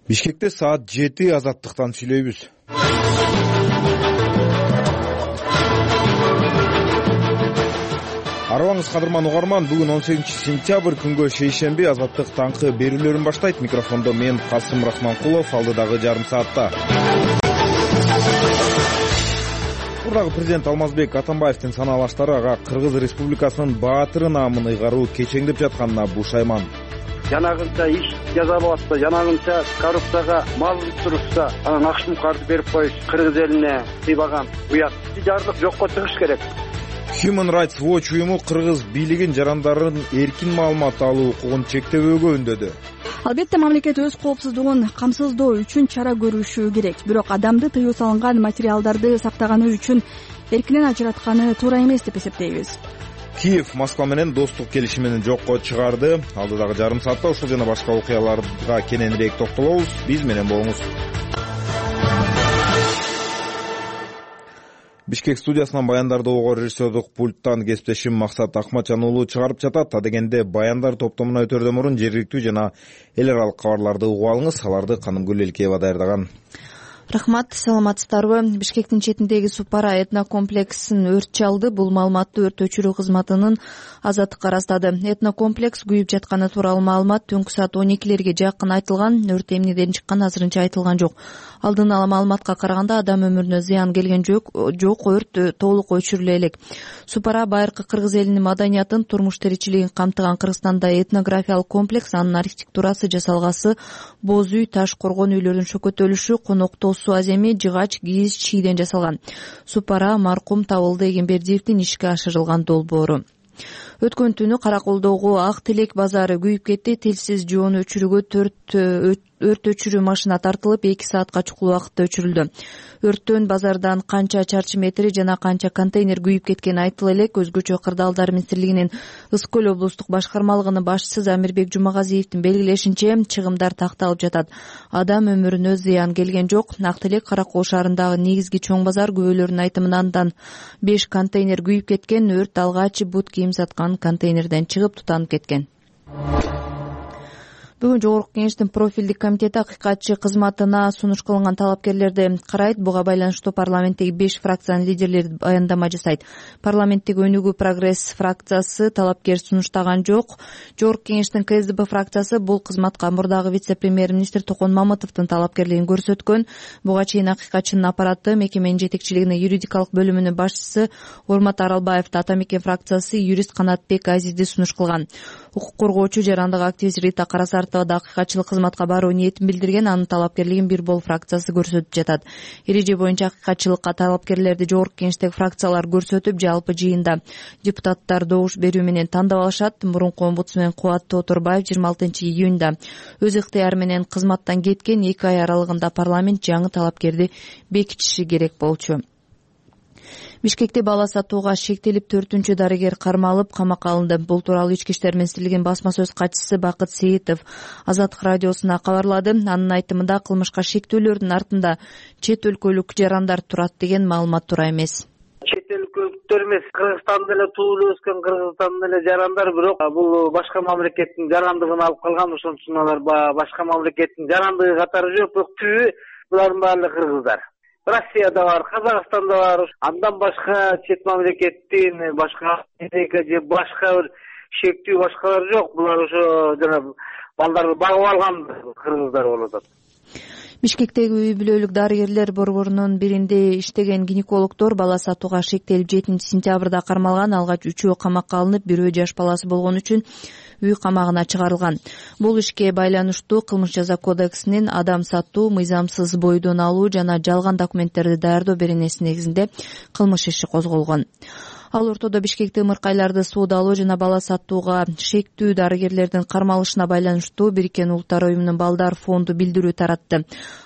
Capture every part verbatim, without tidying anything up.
Бишкекте саат жети азаттыктан сүйлөйбүз. Арыбаңыз кадырман угарман, бүгүн он сегизинчи сентябрь күнгө шейшемби азаттык таңкы берүүлөрүн баштайт. Микрофондо мен Касым Рахманкулов, алдыдагы жарым саатта. Мурдагы президент Алмазбек Атамбаевдин санаалаштары ага Кыргыз Республикасынын баатыры наамын ыйгаруу кечеңдеп жатканына бушайман. Жанагынча иш жасалып атса, жанагынча коррупцияга мал турушса, анан акчаны картып берип коюш Кыргыз элине сыйбаган уят. Жардык жокко чыгыш керек. Human Rights Watch уюму кыргыз бийлигин жарандардын эркин маалымат алуу укугун чектебөөгө үндөдү. Албетте мамлекет өз коопсуздугун камсыздоо үчүн чара көрүшү керек. Бирок адамды тыюу салынган материалдарды сактаганы үчүн эркинен ажыратканы туура эмес деп эсептейбиз. Киев Москва менен достук келишимин жокко чыгарды. Алдыдагы жарым саатта ушул жана башка окуяларга кененирээк токтолобуз. Биз менен болуңуз. Бишкек студиясынан баяндарды угуу режиссердук пульттан кесиптешим Максат Акматжан уулу чыгарып жатат. Адегенде баяндар топтомуна өтөрдөн мурун жергиликтүү жана эл аралык кабарларды угуп алыңыз. Аларды Канымгүл Элкеева даярдаган. Рахмат, саламатсыздарбы? Бишкектин четиндеги Супара этнокомплексин өрт чалды. Бул маалыматты өрт өчүрүү кызматынын Азаттыкка ырастады. Этнокомплекс күйүп жатканы тууралуу маалымат түнкү саат он экилерге жакын айтылган. Өрт эмнеден чыкканы азырынча айтылган жок. Алдын ала маалыматка караганда адам өмүрүнө зыян келген жок, жок өрт толук өчүрүлө элек. Супара байыркы кыргыз элинин маданиятын, турмуш тиричилигин камтыган Кыргызстанда этнографиялык комплекс, анын архитектурасы жасалгасы боз үй, таш коргон үйлөрдүн шөкөтөлүшү, коноктоо суу аземи, жыгач, кийиз, чийден жасалган. Супара маркум Табылды Эгембердиевдин ишке ашырылган долбоору. Өткөн түнү Караколдогу Ак Тилек базары күйүп кетти. Тилсиз жоон өчүрүүгө төрт өрт өчүрүү машина тартылып, эки саатка чукул убакытта өчүрүлдү. Өрттөн базардан канча чарчы метри жана канча контейнер күйүп кеткени айтыла элек. Өзгөчө Кырдаалдар министрлигинин Ысык көл облустук башкармалыгынын башчысы Замирбек Жумагазиевдин белгилешинче, чыгымдар такталып жатат. Адам өмүрүнө зыян келген жок. Ак Тилек Каракол шаарындагы негизги чоң базар, күбөлөрдүн айтымынан андан беш контейнер күйүп кеткен. Өрт алгач бут кийим саткан контейнерден чыгып тутанып кеткен. Бүгүн Жогорку Кеңештин профилдик комитети акыйкатчы кызматына сунуш кылынган талапкерлерди карайт. Буга байланыштуу парламенттеги беш фракциянын лидерлери баяндама жасайт. Парламенттеги Өнүгүү Прогресс фракциясы талапкер сунуштаган жок. Жогорку Кеңештин КСДП фракциясы бул кызматка мурдагы вице-премьер-министр Токон Мамытовдун талапкерлигин көрсөткөн. Буга чейин акыйкатчынын аппараты мекеменин жетекчилигине юридикалык бөлүмүнүн башчысы Урмат Аралбаевди, Ата Мекен фракциясы юрист Канатбек Азизди сунуш кылган. Укук коргоочу жарандык активист Рита Карасартова да акыйкатчылык кызматка баруу ниетин билдирген. Анын талапкерлигин Бир Бол фракциясы көрсөтүп жатат. Эреже боюнча акыйкатчылыкка талапкерлерди Жогорку Кеңештеги фракциялар көрсөтүп, жалпы жыйында депутаттар добуш берүү менен тандап алышат. Мурунку омбудсмен Кубат Тоторбаев жыйырма алтынчы июнда өз ыктыяры менен кызматтан кеткен. Эки ай аралыгында парламент жаңы талапкерди бекитиши керек болчу. Бишкекте бала сатууга шектелип төртүнчү дарыгер кармалып камакка алынды. Бул тууралуу Ички иштер министрлигинин басма сөз катчысы Бакыт Сейитов Азаттык радиосуна кабарлады. Анын айтымында кылмышка шектөөлөрдүн артында чет өлкөлүк жарандар турат деген маалымат туура эмес. Чет өлкөлүктөр эмес, Кыргызстанда эле туулуп өскөн, Кыргызстанда эле жарандар, бирок бул башка мамлекеттин жарандыгын алып калган. Ошон үчүн алар башка мамлекеттин жарандыгы катары жок, бирок түбү булардын баары кыргыздар. Россияда бар, Казакстанда бар. Андан башка чет мамлекеттин башка же башка бир шектүү башкалар жок. Булар ошо жана балдарды багып алган кыргыздар болуп атат. Бишкектеги үй бүлөлүк дарыгерлер борборунун биринде иштеген гинекологдор бала сатууга шектелип жетинчи сентябрда кармалган. Алгач үчөө камакка алынып, бирөө жаш баласы болгон үчүн үй камагына чыгарылган. Бул ишке байланыштуу Кылмыш жаза кодексинин адам сатуу, мыйзамсыз бойдон алуу жана жалган документтерди даярдоо беренеси негизинде кылмыш иши козголгон. Ал ортодо Бишкекте ымыркайларды суудалоо жана бала сатууга шектүү дарыгерлердин кармалышына байланыштуу Бириккен Улуттар уюмунун балдар фонду билдирүү таратты.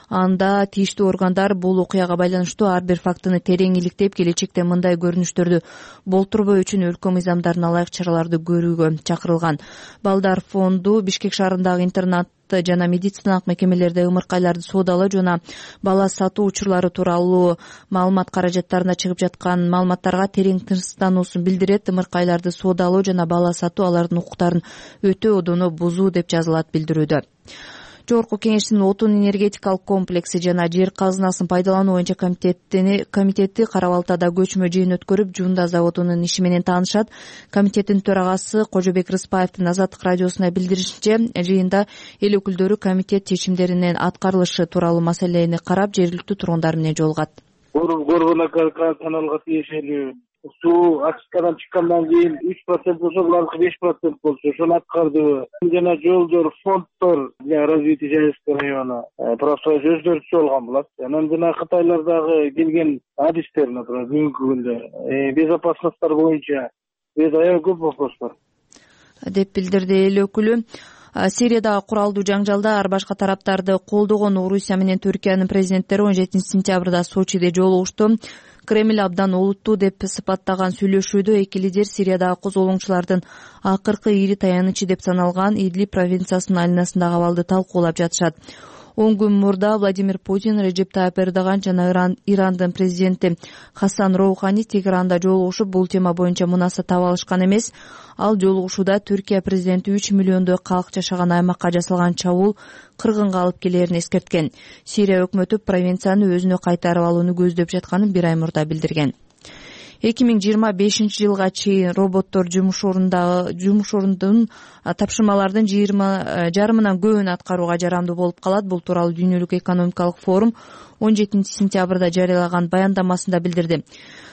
Анда тийиштүү органдар бул окуяга байланыштуу ар бир фактыны терең иликтеп, келечекте мындай көрүнүштөрдү болтурбоо үчүн өлкө мыйзамдарына ылайык чараларды көрүүгө чакырылган. Балдар фонду Бишкек шаарындагы интернат жана медициналык мекемелерде ымыркайларды суудалоо жана бала сатуу учурлары тууралуу маалымат каражаттарына чыгып жаткан маалыматтарга терең тынчсыздануусун билдирет. Ымыркайларды суудалоо жана бала сатуу алардын укуктарын өтө одоно бузуу деп жазылат билдирүүдө. Жогорку Кеңештин отун энергетикалык комплекси жана жер казынасын пайдалануу боюнча комитеттини комитети Кара Балтада көчмө жыйын өткөрүп, Жуунда заводунун иши менен таанышат. Комитеттин төрагасы Кожобек Рыспаевдин Азаттык радиосуна билдиришинче, жыйында эл өкүлдөрү комитет чечимдеринин аткарылышы тууралуу маселени карап, жергиликтүү тургундар менен жолугат. Горбуна каналга тиешелүү суу очисткадан чыккандан кийин үч процент болсо, булардыкы беш процент болчу. Ошону аткардыбы? Жана жолдор, фонддор для развития Жайылышкы району просто өзгөртүп болгон болот. Анан жана Кытайлардагы келген адистер, например, бүгүнкү күндө безопасностьтар боюнча аябай көп вопрос бар деп билдирди эл өкүлү. Сириядагы куралдуу жаңжалда ар башка тараптарды колдогон Орусия менен Түркиянын президенттери он жетинчи сентябрда Сочиде жолугушту. Кремль абдан олуттуу деп сыпаттаган сүйлөшүүдө эки лидер Сириядагы козголоңчулардын акыркы ири таянычы деп саналган Идлиб провинциясынын айланасындагы абалды талкуулап жатышат. он күн мурда Владимир Путин, Реджеп Тайып Эрдоган жана Иран, Ирандын президенти Хасан Роухани Тегеранда жолугушуп, бул тема боюнча мунаса таап алышкан эмес. Ал жолугушууда Түркия президенти үч миллиондой калк жашаган аймакка жасалган чабуул кыргынга алып келерин эскерткен. Сирия өкмөтү провинцияны өзүнө кайтарып алууну көздөп жатканын бир ай мурда билдирген. эки миң жыйырма бешинчи жылга чейин роботтор жумуш орунда жумуш орундун тапшырмалардын жыйырма жарымынан көбүн аткарууга жарамдуу болуп калат. Бул тууралуу Дүйнөлүк экономикалык форум он жетинчи сентябрда жарыялаган баяндамасында билдирди.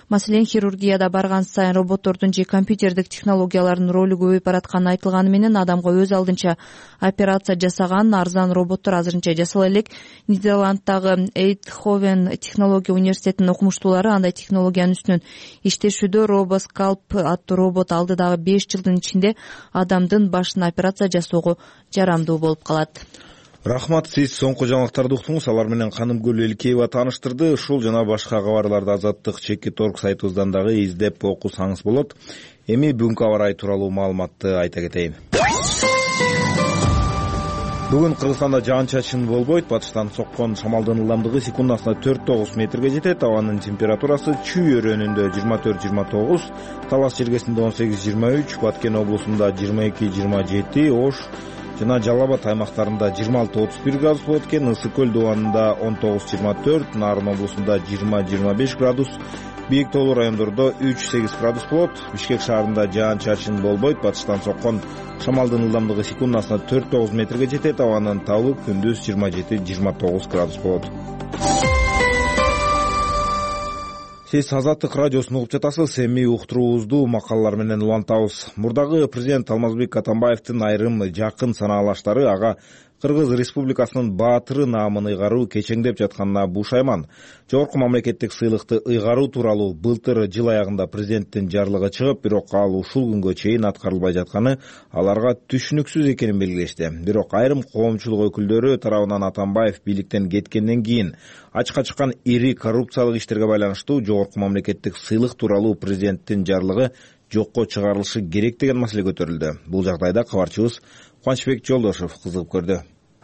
Маселен, хирургияда барган сайын роботтордун же компьютердик технологиялардын ролу көбөйүп баратканы айтылганы менен адамга өз алдынча операция жасаган арзан роботтор азырынча жасала элек. Нидерланддагы Эйндховен технология университетинин окумуштуулары андай технологиянын үстүнөн иштешүүдө. Робоскалп аттуу робот алдыдагы беш жылдын ичинде адамдын башына операция жасоого жарамдуу болуп калат. Рахмат, сиз соңку жаңылыктарды уктуңуз. Алар менен Канымгүл Элкеева тааныштырды. Ушул жана башка кабарларды Азаттык чекит точка орг сайтыбыздан дагы издеп окусаңыз болот. Эми бүгүнкү аба ырайы тууралуу маалыматты айта кетейин. Бүгүн Кыргызстанда жаан-чачын болбойт. Батыштан соккон шамалдын ылдамдыгы секундасына төрт тогуз метрге жетет. Абанын температурасы Чүй өрөөнүндө жыйырма төрт жыйырма тогуз, Талас жергесинде он сегиз жыйырма үч, Баткен облусунда жыйырма эки жыйырма жети, Ош жана Жалал Абад аймактарында жыйырма алты отуз бир градус болот экен. Ысык көл дубанында он тогуз жыйырма төрт, Нарын облусунда жыйырма жыйырма беш градус, Бийик тоолуу райондордо үч сегиз градус болот. Бишкек шаарында жаан-чачын болбойт. Батыштан соккон шамалдын ылдамдыгы секундасына төрт тогуз метрге жетет. Абанын табы күндүз жыйырма жети жыйырма тогуз градус болот. Сиз Азаттык радиосун угуп жатасыз. Эми уктуруубузду макалалар менен улантабыз. Мурдагы президент Алмазбек Атамбаевдин айрым жакын санаалаштары ага Кыргыз Республикасынын баатыры наамын ыйгаруу кечеңдеп жатканына бушайман. Жогорку мамлекеттик сыйлыкты ыйгаруу тууралуу былтыр жыл аягында президенттин жарлыгы чыгып, бирок ал ушул күнгө чейин аткарылбай жатканы аларга түшүнүксүз экенин белгилешти. Бирок айрым коомчулук өкүлдөрү тарабынан Атамбаев бийликтен кеткенден кийин ачыкка чыккан ири коррупциялык иштерге байланыштуу жогорку мамлекеттик сыйлык тууралуу президенттин жарлыгы жокко чыгарылышы керек деген маселе көтөрүлдү. Бул жагдайда кабарчыбыз Кубанычбек Жолдошов кызыгып көрдү.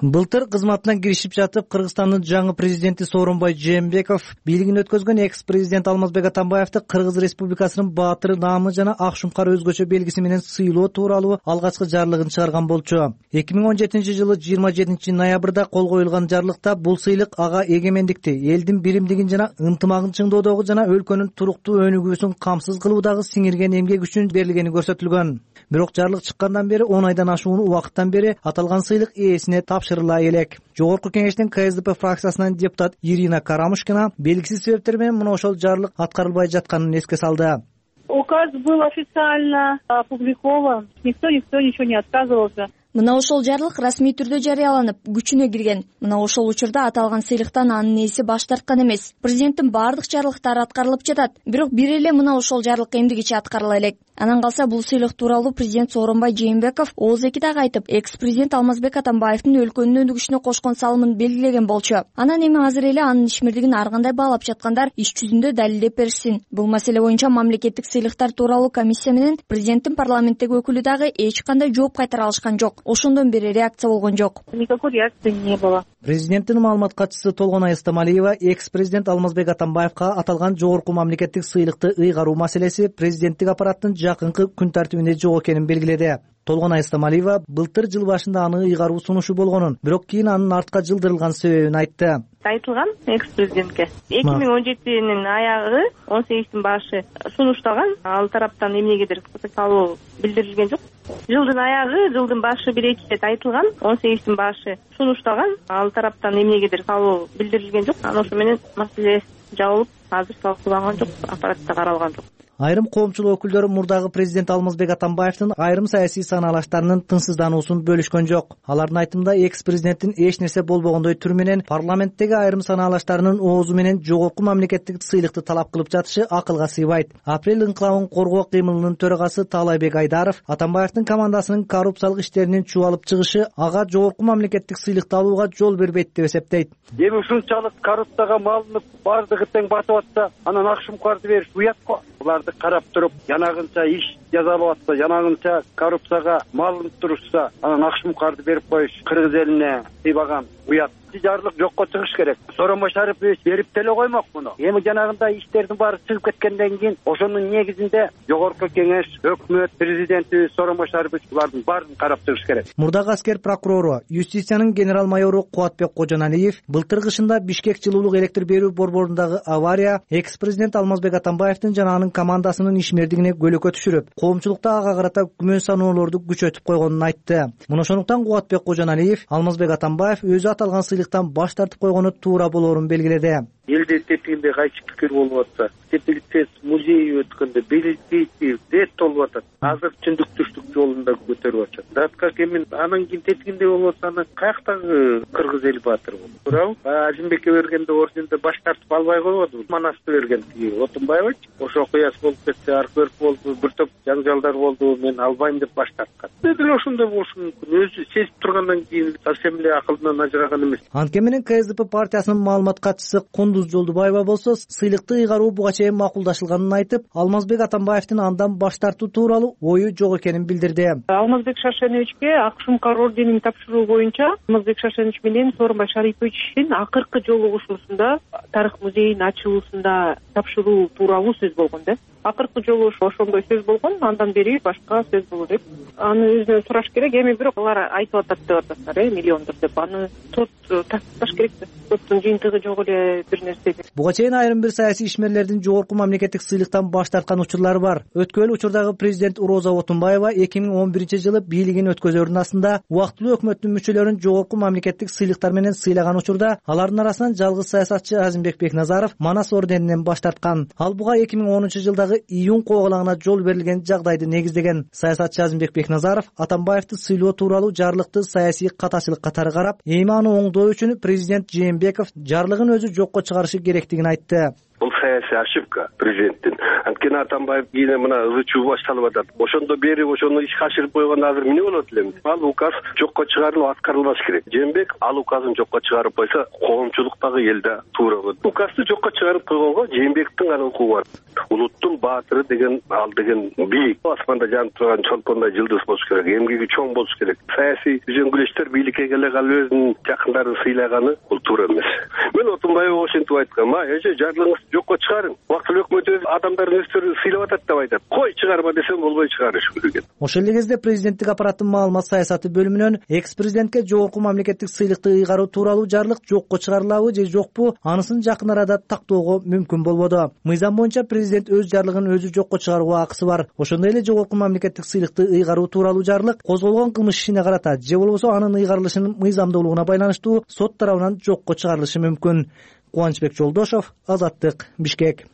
Былтыр кызматынан киришип жатып, Кыргызстандын жаңы президенти Сооронбай Жээнбеков бийлигин өткөзгөн экс-президент Алмазбек Атамбаевди Кыргыз Республикасынын баатыры наамы жана ак шумкар өзгөчө белгиси менен сыйлоо тууралуу алгачкы жарлыгын чыгарган болчу. эки миң он жетинчи жылы жыйырма жетинчи ноябрда кол коюлган жарлыкта бул сыйлык ага эгемендикти, элдин биримдигин жана ынтымагын чыңдоодогу жана өлкөнүн туруктуу өнүгүүсүн камсыз кылуудагы сиңирген эмгек үчүн берилгени көрсөтүлгөн. Бирок жарлык чыккандан бери он айдан ашуун убакыттан бери аталган сыйлык ээсине тапшырыла элек. Жогорку Кеңештин Ка Эс Д П фракциясынан депутат Ирина Карамушкина белгисиз себептер менен мына ошол жарлык аткарылбай жатканын эске салды. Указ был официально опубликован, никто никто ничего не отказывался. Мына ошол жарлык расмий түрдө жарыяланып, күчүнө кирген. Мына ошол учурда аталган сыйлыктан анын ээси баш тарткан эмес. Президенттин баардык жарлыктары аткарылып жатат, бирок бир эле мына ошол жарлык эмдигичи аткарыла элек. Анан калса бул сыйлык тууралуу президент Сооронбай Жээнбеков ооз эки дагы айтып, экс-президент Алмазбек Атамбаевдин өлкөнүн өнүгүшүнө кошкон салымын белгилеген болчу. Анан эми азыр эле анын ишмердигин ар кандай баалап жаткандар иш жүзүндө далилдеп беришсин. Бул маселе боюнча мамлекеттик сыйлыктар тууралуу комиссия менен президенттин парламенттеги өкүлү дагы эч кандай жооп кайтара алышкан жок. Ошондон бери реакция болгон жок. Никакой реакции не было. Президенттин маалымат катчысы Толгонай Эстамалиева экс-президент Алмазбек Атамбаевга аталган жогорку мамлекеттик сыйлыкты ыйгаруу маселеси президенттик аппараттын жакынкы күн тартибинде жок экенин белгиледи. Толгонай Истамалиева былтыр жыл башында аны ыйгаруу сунушу болгонун, бирок кийин анын артка жылдырылган себебин айтты. Айтылган экс президентке эки миң он жетинин аягы он сегиздин башы сунуштаган, ал тараптан эмнегедир салуу билдирилген жок. Жылдын аягы, жылдын башы бир эки ирет айтылган, он сегиздин башы сунуштаган, ал тараптан эмнегедир салуу билдирилген жок. Анан ошо менен маселе жабылып, азыр талкууланган жок, аппаратта каралган жок. Айрым коомчулук өкүлдөрү мурдагы президент Алмазбек Атамбаевдин айрым саясий санаалаштарынын тынчсыздануусун бөлүшкөн жок. Алардын айтымында экс президенттин эч нерсе болбогондой түрү менен парламенттеги айрым санаалаштарынын оозу менен жогорку мамлекеттик сыйлыкты талап кылып жатышы акылга сыйбайт. Апрель инкылабын коргоо кыймылынын төрагасы Таалайбек Айдаров Атамбаевдин командасынын коррупциялык иштеринин чубалып чыгышы ага жогорку мамлекеттик сыйлыкты алууга жол бербейт деп эсептейт. Эми ушунчалык коррупцияга малынып, бардыгы тең батып атса, анан Акшумкарды бериш уят го. Буларды карап туруп, жанагынча иш жазалап атса, жанагынча коррупцияга малынып турушса, анан Акшумкарды берип коюш кыргыз элине сыйбаган уят. Жарлык жокко чыгыш керек. Сооронбай Шарипович берип деле коймок муну. Эми жанагындай иштердин баары чыгып кеткенден кийин ошонун негизинде жогорку кеңеш, өкмөт, президенти Сооронбай Шарипович булардын баарын карап чыгыш керек. Мурдагы аскер прокурору, юстициянын генерал майору Кубатбек Кожоналиев былтыр кышында Бишкек жылуулук электр берүү борборундагы авария экс президент Алмазбек Атамбаевдин жана анын командасынын ишмердигине көлөкө түшүрүп, коомчулукта ага карата күмөн саноолорду күчөтүп койгонун айтты. Муну ошондуктан Кубатбек Кожоналиев Алмазбек Атамбаев өзү аталган сыйлыктан баш тартып койгону туура болоорун белгиледи. Элде тепкенде кайчы пикир болуп атса, тепилтес музей өткөндө белгилейти рет болуп атат. Азыр түндүк-түштүк жолунда көтөрүп атат. Датка кемин анан кийин тепкенде болуп атса, анан каяктагы кыргыз эл баатыр болду. Туурабы? Азимбекке бергенде орденде баш тартып албай койбоду. Манасты берген тиги Отунбаевич. Ошо окуясы болуп кетти, аркөрк болду, бир топ жаңжалдар болду. Мен албайм деп баш тарткан. Деле ошондой болушу мүмкүн. Өзү сезип тургандан кийин совсем эле акылдан ажыраган эмес. Анткени менен КСДП партиясынын маалымат катчысы Кундуз Жолдубаева болсо, сыйлыкты ыйгаруу буга чейин макулдашылганын айтып, Алмазбек Атамбаевдин андан баш тартуу тууралуу ою жок экенин билдирди. Алмазбек Шаршеновичке Акшумкар орденин тапшыруу боюнча Алмазбек Шаршенович менен Сооронбай Шариповичтин акыркы жолугушуусунда Тарых музейинин ачылуусунда тапшыруу тууралуу сөз болгон да. Акыркы жолу ошондой сөз болгон, андан бери башка сөз болду деп. Аны өзүнөн сураш керек. Эми бирок алар айтып атат деп атасыздар, э, миллиондор деп. Аны сот тасташ керек да. Соттун жыйынтыгы жок эле бир нерсе. Буга чейин айрым бир саясий ишмерлердин жогорку мамлекеттик сыйлыктан баш тарткан учурлары бар. Өткөн учурдагы президент Роза Отунбаева эки миң он биринчи жылы бийлигин өткөзөрүнүн астында убактылуу өкмөттүн мүчөлөрүн жогорку мамлекеттик сыйлыктар менен сыйлаган учурда алардын арасынан жалгыз саясатчы Азимбек Бекназаров Манас орденинен баш тарткан. Ал буга эки миң онунчу жылдагы июнь куугалагына жол берилген жагдайды негиздеген. Саясатчы Азимбек Бекназаров Атамбаевди сыйлоо тууралуу жарлыкты саясий катачылык катары карап, эми аны оңдоо үчүн президент Жээнбеков жарлыгын өзү жокко чыгарышы керектигин айтты. Бул саясий ошибка президенттин. Анткени Атамбаев кийин мына ызы чуу башталып атат. Ошондо бери ошону ишке ашырып койгондо азыр эмне болот эле? Ал указ жокко чыгарылып аткарылбаш керек. Жээнбек ал указын жокко чыгарып койсо, коомчулуктагы элде туура болот. Указды жокко чыгарып койгонго Жээнбектин гана укугу бар. Улуттун баатыры деген ал деген бийик. Асманда жанып турган чолпондой жылдыз болуш керек. Эмгеги чоң болуш керек. Саясий үзөңгүлөчтөр бийликке келе калып өзүнүн жакындарын сыйлаганы бул туура эмес. Мен Отунбаев ошентип айткам, ма эже жарлыгыңызды жокко чыгарың. Убактылуу өкмөт өз адамдарын өздөрү сыйлап атат деп айтат. Кой чыгарма десем болбой чыгарыш керек. Ошол эле кезде президенттик аппараттын маалымат саясаты бөлүмүнөн экс президентке жогорку мамлекеттик сыйлыкты ыйгаруу тууралуу жарлык жокко чыгарылабы же жокпу, анысын жакын арада тактоого мүмкүн болбоду. Мыйзам боюнча президент өз жарлыгын өзү жокко чыгарууга акысы бар. Ошондой эле жогорку мамлекеттик сыйлыкты ыйгаруу тууралуу жарлык козголгон кылмыш ишине карата же болбосо анын ыйгарылышынын мыйзамдуулугуна байланыштуу сот тарабынан жокко чыгарылышы мүмкүн. Кубанычбек Жолдошов, Азаттык, Бишкек.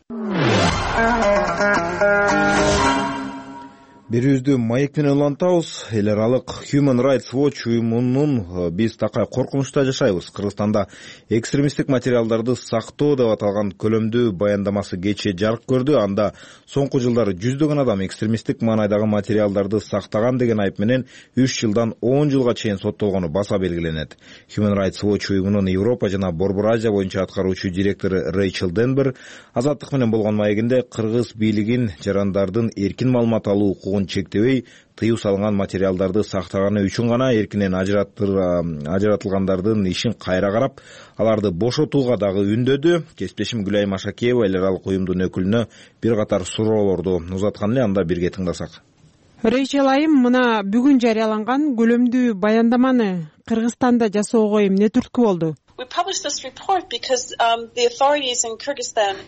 Берүүбүздү маек менен улантабыз. Эл аралык Human Rights Watch уюмунун биз такай коркунучта жашайбыз, Кыргызстанда экстремисттик материалдарды сактоо деп аталган көлөмдүү баяндамасы кечээ жарык көрдү. Анда соңку жылдары жүздөгөн адам экстремисттик маанайдагы материалдарды сактаган деген айып менен үч жылдан он жылга чейин соттолгону баса белгиленет. Human Rights Watch уюмунун Европа жана Борбор Азия боюнча аткаруучу директору Рэйчел Денбер Азаттык менен болгон маегинде кыргыз бийлигин жарандардын эркин маалымат алуу укугун чектебей, тыюу салынган материалдарды сактаганы үчүн гана эркинен ажыратылгандардын ишин кайра карап, аларды бошотууга дагы үндөдү. Кесиптешим Гүлай Машакиева эл аралык уюмдун өкүлүнө бир катар суроолорду узаткан эле, анда бирге тыңдасак. Рейчел айым, мына бүгүн жарыяланган көлөмдүү баяндаманы Кыргызстанда жасоого эмне түрткү болду?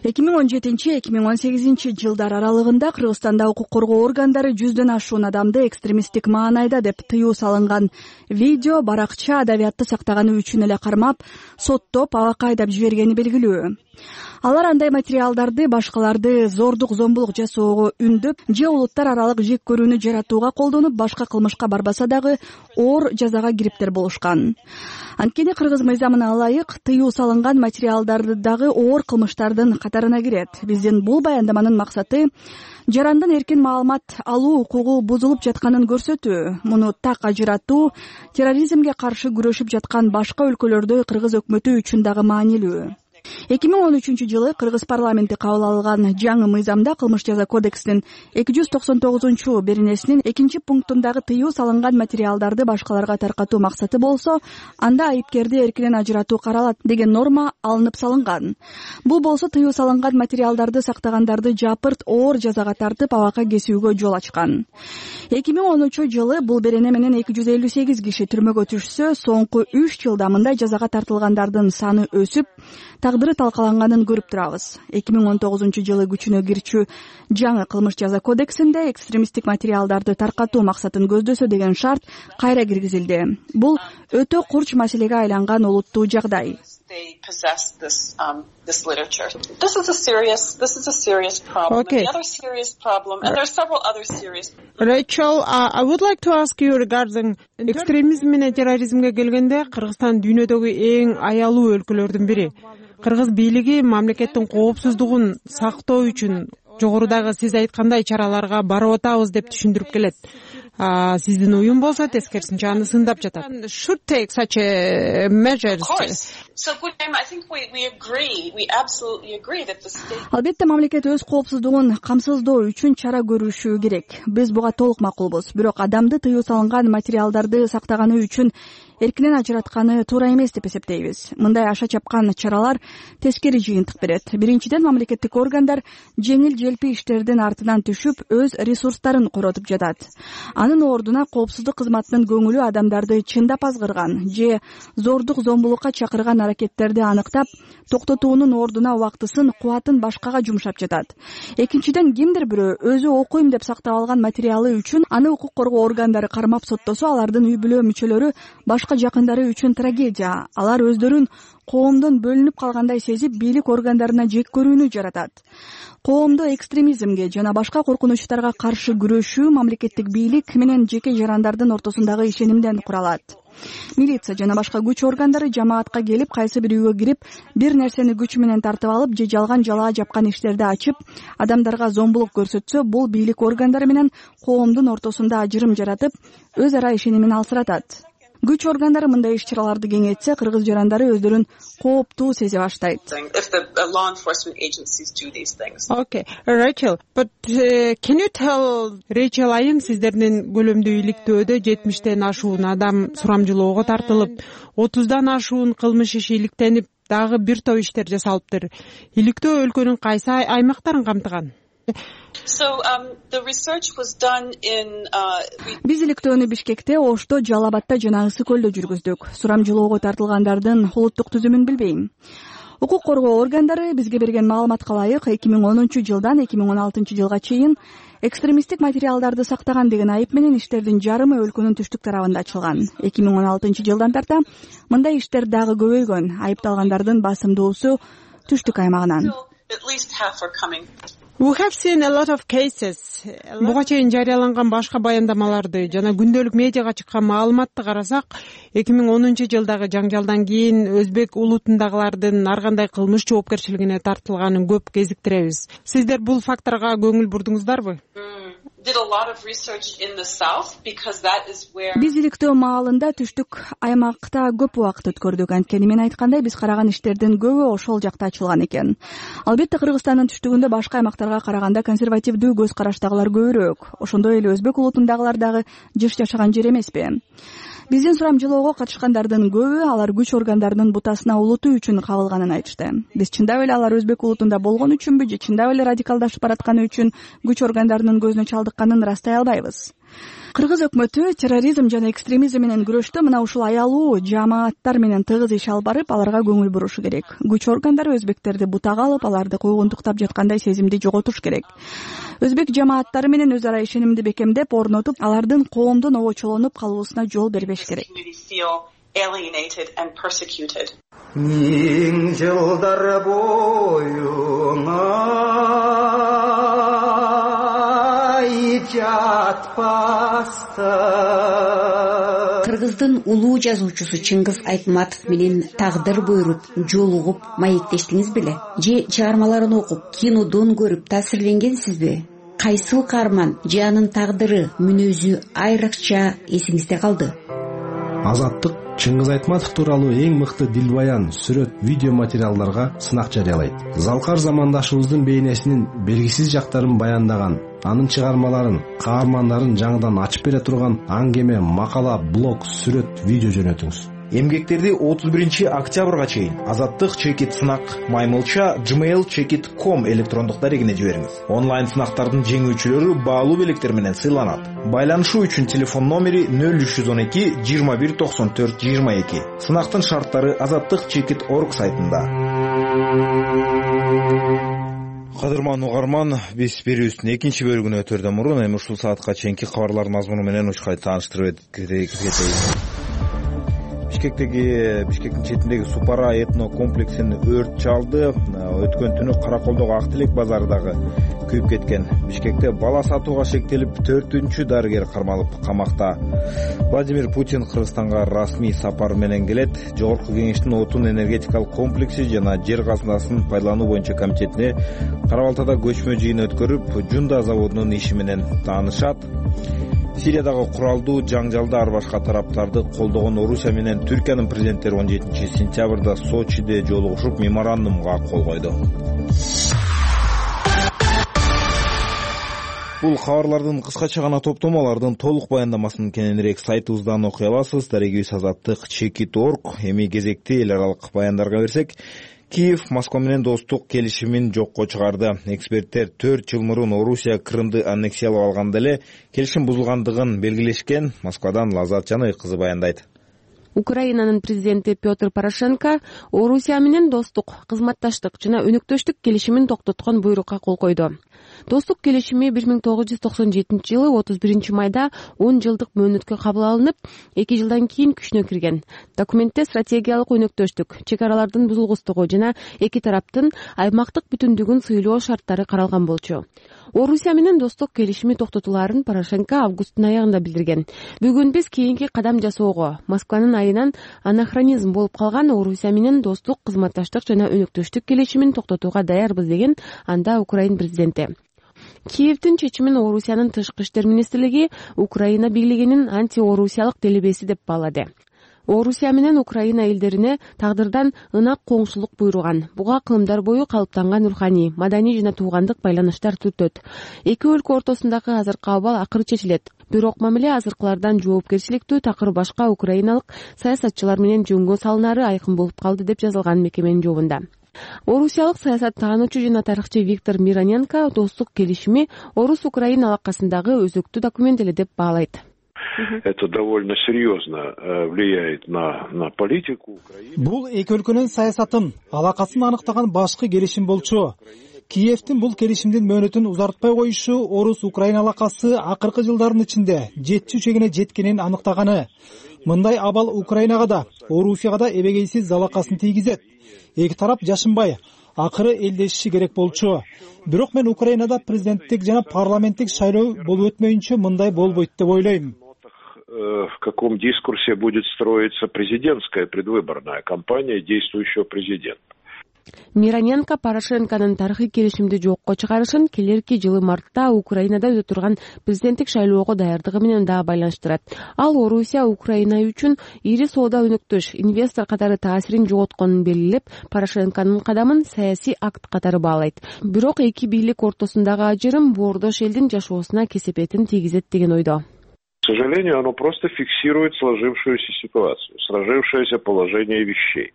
эки миң он жетинчи эки миң он сегизинчи жылдар аралыгында Кыргызстанда укук коргоо органдары жүздөн ашуун адамды экстремисттик маанайда деп тыюу салынган видео баракча адабиятты сактаганы үчүн эле кармап, соттоп, абакка айдап жибергени белгилүү. Алар андай материалдарды башкаларды зордук зомбулук жасоого үндөп же улуттар аралык жек көрүүнү жаратууга колдонуп, башка кылмышка барбаса дагы оор жазага кириптер болушкан. Анткени кыргыз мыйзамына ылайык тыюу салынган материалдарды дагы оор кылмыштардын катарына кирет. Биздин бул баяндаманын максаты жарандын эркин маалымат алуу укугу бузулуп жатканын көрсөтүү. Муну так ажыратуу терроризмге каршы күрөшүп жаткан башка өлкөлөрдө кыргыз өкмөтү үчүн дагы маанилүү. эки миң он үчүнчү жылы кыргыз парламенти кабыл алган жаңы мыйзамда кылмыш жаза кодексинин эки жүз токсон тогузунчу беренесинин экинчи пунктундагы тыюу салынган материалдарды башкаларга таркатуу максаты болсо, анда айыпкерди эркинен ажыратуу каралат деген норма алынып салынган. Бул болсо тыюу салынган материалдарды сактагандарды жапырт оор жазага тартып, абакка кесүүгө жол ачкан. эки миң онунчу жылы бул берене менен эки жүз элүү сегиз киши түрмөгө түшсө, соңку үч жылда мындай жазага тартылгандардын саны өсүп, тагдыры талкаланганын көрүп турабыз. эки миң он тогузунчу жылы күчүнө кирчү жаңы кылмыш жаза кодексинде экстремисттик материалдарды таркатуу максатын көздөсө деген шарт кайра киргизилди. Бул өтө курч маселеге айланган олуттуу жагдай. Okay. Rachel, uh, I would like to ask you regarding экстремизм менен терроризмге келгенде Кыргызстан дүйнөдөгү эң аялуу өлкөлөрдүн бири. Кыргыз бийлиги мамлекеттин коопсуздугун сактоо үчүн жогорудагы сиз айткандай чараларга барып атабыз деп түшүндүрүп келет. Сиздин уюм болсо тескерисинче аны сындап жатат. Should take such a measures. Албетте мамлекет өз коопсуздугун камсыздоо үчүн чара көрүшү керек. Биз буга толук макулбуз. Бирок адамды тыюу салынган материалдарды сактаганы үчүн эркинен ажыратканы туура эмес деп эсептейбиз. Мындай аша чапкан чаралар тескери жыйынтык берет. Биринчиден, мамлекеттик органдар жеңил желпи иштердин артынан түшүп, өз ресурстарын коротуп жатат. Анын ордуна коопсуздук кызматынын көңүлү адамдарды чындап азгырган же зордук зомбулукка чакырган аракеттерди аныктап, токтотуунун ордуна убактысын, кубатын башкага жумшап жатат. Экинчиден, кимдир бирөө өзү окуйм деп сактап алган материалы үчүн аны укук коргоо органдары кармап соттосо, алардын үй бүлө мүчөлөрү башка жакындары үчүн трагедия. Алар өздөрүн коомдон бөлүнүп калгандай сезип, бийлик органдарына жек көрүүнү жаратат. Коомдо экстремизмге жана башка коркунучтарга каршы күрөшүү мамлекеттик бийлик менен жеке жарандардын ортосундагы ишенимден куралат. Милиция жана башка күч органдары жамаатка келип, кайсы бир үйгө кирип, бир нерсени күч менен тартып алып же жалган жалаа жапкан иштерди ачып, адамдарга зомбулук көрсөтсө, бул бийлик органдары менен коомдун ортосунда ажырым жаратып, өз ара ишенимин алсыратат. Күч органдары мындай иш-чараларды кеңейтсе, кыргыз жарандары өздөрүн кооптуу сезе баштайт. Okay, Rachel, but uh, can you tell Rachel айым, сиздердин көлөмдүү иликтөөдө жетимиштен ашуун адам сурамжылоого тартылып, отуздан ашуун кылмыш иши иликтенип, дагы бир топ иштер жасалыптыр. Иликтөө өлкөнүн кайсы аймактарын камтыган? Биз иликтөөнү Бишкекте, Ошто, Жалал Абадта жана Ысык көлдө жүргүздүк. Сурамжылоого тартылгандардын улуттук түзүмүн билбейм. Укук коргоо органдары бизге берген маалыматка ылайык эки миң онунчу жылдан эки миң он алтынчы жылга чейин экстремисттик материалдарды сактаган деген айып менен иштердин жарымы өлкөнүн түштүк тарабында ачылган. эки миң он алтынчы жылдан тарта мындай иштер дагы көбөйгөн. Айыпталгандардын басымдуусу түштүк аймагынан. We have seen a lot of cases. Буга чейин жарыяланган башка баяндамаларды жана күндөлүк медиага чыккан маалыматты карасак, эки миң онунчу жылдагы жаңжалдан кийин өзбек улутундагылардын ар кандай кылмыш жоопкерчилигине тартылганын көп кезиктиребиз. Сиздер бул факторго көңүл бурдуңуздарбы? Биз иликтөө маалында түштүк аймакта көп убакыт өткөрдүк. Анткени мен айткандай, биз караган иштердин көбү ошол жакта ачылган экен. Албетте Кыргызстандын түштүгүндө башка аймактарга караганда консервативдүү көз караштагылар көбүрөөк. Ошондой эле өзбек улутундагылар дагы жыш жашаган жер эмеспи? биздин сурамжылоого катышкандардын көбү алар күч органдарынын бутасына улутуу үчүн кабылганын айтышты. Биз чындап эле алар өзбек улутунда болгон үчүнбү же чындап эле радикалдашып баратканы үчүн күч органдарынын көзүнө чалдыкканын ырастай албайбыз. Кыргыз өкмөтү терроризм жана экстремизм менен күрөштө мына ушул аялуу жамааттар менен тыгыз иш алып барып, аларга көңүл бурушу керек. Күч органдары өзбектерди бутага алып, аларды куйгунтуктап жаткандай сезимди жоготуш керек. Өзбек жамааттары менен өз ара ишенимди бекемдеп, орнотуп, алардын коомдун обочолонуп калуусуна жол бербеш керек. Миң жылдар боюңа Кыргыздын улуу жазуучусу Чыңгыз Айтматов менен тагдыр буйруп, жолугуп, маектештиңиз беле? Же чыгармаларын окуп, кинодон көрүп таасирленгенсизби? Кайсыл каарман же анын тагдыры, мүнөзү айрыкча эсиңизде калды? Азаттык Чыңгыз Айтматов тууралуу эң мыкты дилбаян, сүрөт, видео материалдарга сынак жарыялайт. Залкар замандашыбыздын бейнесинин белгисиз жактарын баяндаган, анын чыгармаларын, каармандарын жаңыдан ачып бере турган аңгеме, макала, блог, сүрөт, видео жөнөтүңүз. Эмгектерди отуз биринчи октябрга чейин Азаттык чекит сынак маймылча gmail чекит точка ком электрондук дарегине жибериңиз. Онлайн сынактардын жеңүүчүлөрү баалуу белектер менен сыйланат. Байланышуу үчүн телефон номери нөл үч жүз он эки жыйырма бир токсон төрт жыйырма эки. Сынактын шарттары азаттык чекит точка орг сайтында. Кадырман угарман, биз берүүбүздүн экинчи бөлүгүнө өтөрдөн мурун эми ушул саатка чейинки кабарлардын мазмуну менен учкай тааныштырып кетейин. Бишкектеги Бишкектин четиндеги Супара этно комплексин өрт чалды. Өткөн түнү Караколдогу Ак Тилек базарындагы күйүп кеткен. Бишкекте бала сатууга шектелип, төртүнчү дарыгер кармалып камакта. Владимир Путин Кыргызстанга расмий сапар менен келет. Жогорку кеңештин отун энергетикалык комплекси жана жер казынасын пайдалануу боюнча комитетине Кара Балтада көчмө жыйын өткөрүп, Жунда заводунун иши менен таанышат. Сириядагы куралдуу жаңжалда ар башка тараптарды колдогон Орусия менен Түркиянын президенттери он жетинчи сентябрда Сочиде жолугушуп, меморандумга кол койду. Бул кабарлардын кыскача гана топтомолордун толук баяндамасын кененирээк сайтыбыздан окуй аласыз. Дарегибиз азаттык чекит точка орг. Эми кезекти эл аралык баяндарга берсек, Киев Москва менен достук келишимин жокко чыгарды. Эксперттер төрт жыл мурун Орусия Крымды аннексиялап алганда эле келишим бузулгандыгын белгилешкен. Москвадан Лазат Жаныбек кызы баяндайт. Украинанын президенти Петр Порошенко Орусия менен достук, кызматташтык жана өнөктөштүк келишимин токтоткон буйрукка кол койду. Достук келишими бир миң тогуз жүз токсон жетинчи жылы отуз биринчи майда он жылдык мөөнөткө кабыл алынып, эки жылдан кийин күчүнө кирген. Документте стратегиялык өнөктөштүк, чек аралардын бузулгустугу жана эки тараптын аймактык бүтүндүгүн сыйлоо шарттары каралган болчу. Орусия менен достук келишими токтотулаарын Порошенко августтун аягында билдирген. Бүгүн биз кийинки кадам жасоого, Москванын айынан анахронизм болуп калган Орусия менен достук, кызматташтык жана өнөктөштүк келишимин токтотууга даярбыз деген анда Украин президенти. Киевдин чечимин Орусиянын тышкы иштер министрлиги Украина бийлигинин антиорусиялык делебеси деп баалады. Орусия менен Украина элдерине тагдырдан ынак коңшулук буйруган. Буга кылымдар бою калыптанган руханий, маданий жана туугандык байланыштар түртөт. Эки өлкө ортосундагы азыркы абал акыры чечилет. Бирок мамиле азыркылардан жоопкерчиликтүү такыр башка украиналык саясатчылар менен жөнгө салынары айкын болуп калды деп жазылган мекеменин жобунда. Орусиялык саясаттануучу жана тарыхчы Виктор Мироненко достук келишими Орус-Украина алакасындагы өзөктүү документ эле деп баалайт. Это довольно серьезно влияет на на политику Украины. Бул эки өлкөнүн саясатын, алакасын аныктаган башкы келишим болчу. Киевдин бул келишимдин мөөнөтүн узартпай коюшу Орус-Украина алакасы акыркы жылдардын ичинде жетчү чегине жеткенин аныктаганы. Мындай абал Украинага да, Орусияга да эбегейсиз залакасын тийгизет. Эки тарап жашынбай, акыры элдешиши керек болчу. Бирок мен Украинада президенттик жана парламенттик шайлоо болуп өтмөйүнчө мындай болбойт деп ойлойм. В каком дискурсе будет строиться президентская предвыборная кампания действующего президента. Мироненко Порошенконун тарыхый келишимди жокко чыгарышын келерки жылы мартта Украинада өтө турган президенттик шайлоого даярдыгы менен да байланыштырат. Ал Орусия Украина үчүн ири соода өнөктөш, инвестор катары таасирин жоготконун белгилеп, Порошенконун кадамын саясий акт катары баалайт. Бирок эки бийлик ортосундагы ажырым боордош элдин жашоосуна кесепетин тийгизет деген ойдо. К сожалению, оно просто фиксирует сложившуюся ситуацию, сложившееся положение вещей.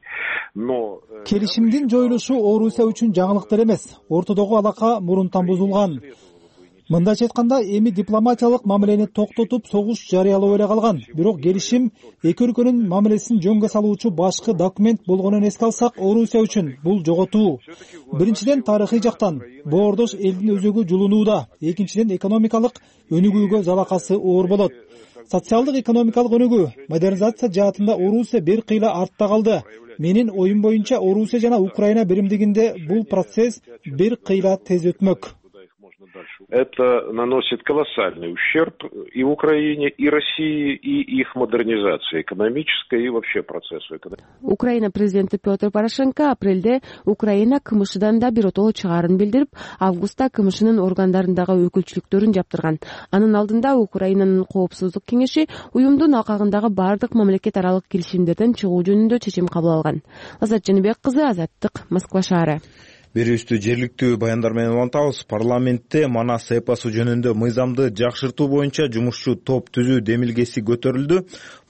Но келишимдин жоюлушу Орусия үчүн жаңылыктар эмес. Ортодогу алака мурунтан бузулган. Мындайча айтканда, эми дипломатиялык мамилени токтотуп согуш жарыялоо эле калган. Бирок келишим эки өлкөнүн мамилесин жөнгө салуучу башкы документ болгонун эске алсак, Орусия үчүн бул жоготуу. Биринчиден, тарыхый жактан боордош элдин өзөгү жулунууда, экинчиден, экономикалык өнүгүүгө залакасы оор болот. Социалдык экономикалык өнүгүү, модернизация жаатында Орусия бир кыйла артта калды. Менин оюм боюнча Орусия жана Украина биримдигинде бул процесс бир кыйла тез өтмөк. Это наносит колоссальный ущерб и Украине, и России, и их модернизации экономической, и вообще процессу экономики. Украина президенти Петр Порошенко апрелде Украина КМШдан да биротоло чыгаарын билдирип, августта КМШнын органдарындагы өкүлчүлүктөрүн жаптырган. Анын алдында Украинанын коопсуздук кеңеши уюмдун алкагындагы бардык мамлекет аралык келишимдерден чыгуу жөнүндө чечим кабыл алган. Азат Жаныбек кызы, Азаттык, Москва шаары. Берүүбүздү жергиликтүү баяндар менен улантабыз. Парламентте Манас эпосу жөнүндө мыйзамды жакшыртуу боюнча жумушчу топ түзүү демилгеси көтөрүлдү.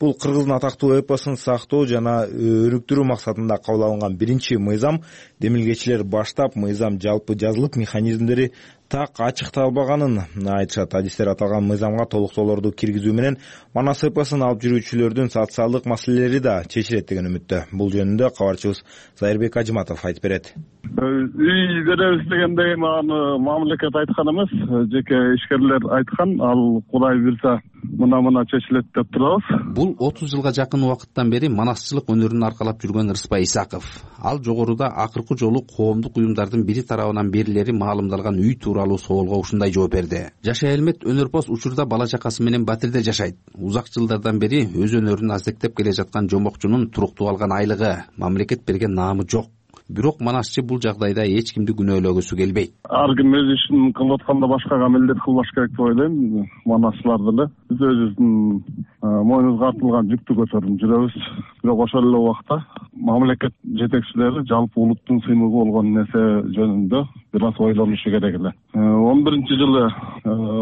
Бул кыргыздын атактуу эпосун сактоо жана өрүктүрүү максатында кабыл алынган биринчи мыйзам. Демилгечилер баштап мыйзам жалпы жазылып, механизмдери так ачыкталбаганын айтышат. Адистер аталган мыйзамга толуктоолорду киргизүү менен Манас эпосун алып жүрүүчүлөрдүн социалдык маселелери да чечилет деген үмүттө. Бул жөнүндө кабарчыбыз Зайырбек Ажыматов айтып берет. Үй беребиз дегендей мамлекет айткан эмес, жеке ишкерлер айткан, ал Кудай буйрса мына-мына чечилет деп турабыз. Бул отуз жылга жакын убакыттан бери манасчылык өнөрүн аркалап жүргөн Рыспай Исаков. Ал жогоруда акыркы жолу коомдук уюмдардын бири тарабынан берилери маалымдалган үй тууралуу соолго ушундай жооп берди. Жашай Элмет өнөрпоз учурда бала чакасы менен Батирде жашайт. Узак жылдардан бери өз өнөрүн аздектеп келе жаткан жомокчунун туруктуу алган айлыгы, мамлекет берген наамы жок. Бирок манасчы бул жагдайда эч кимди күнөөлөгүсү келбейт. Ар ким өз ишин кылып атканда башкага милдет кылбаш керек деп ойлойм. Манасчылар деле биз өзүбүздүн мойнубузга артылган жүктү көтөрүп жүрөбүз. Бирок ошол эле убакта мамлекет жетекчилери жалпы улуттун сыймыгы болгон нерсе жөнүндө бир аз ойлонушу керек эле. он биринчи жылы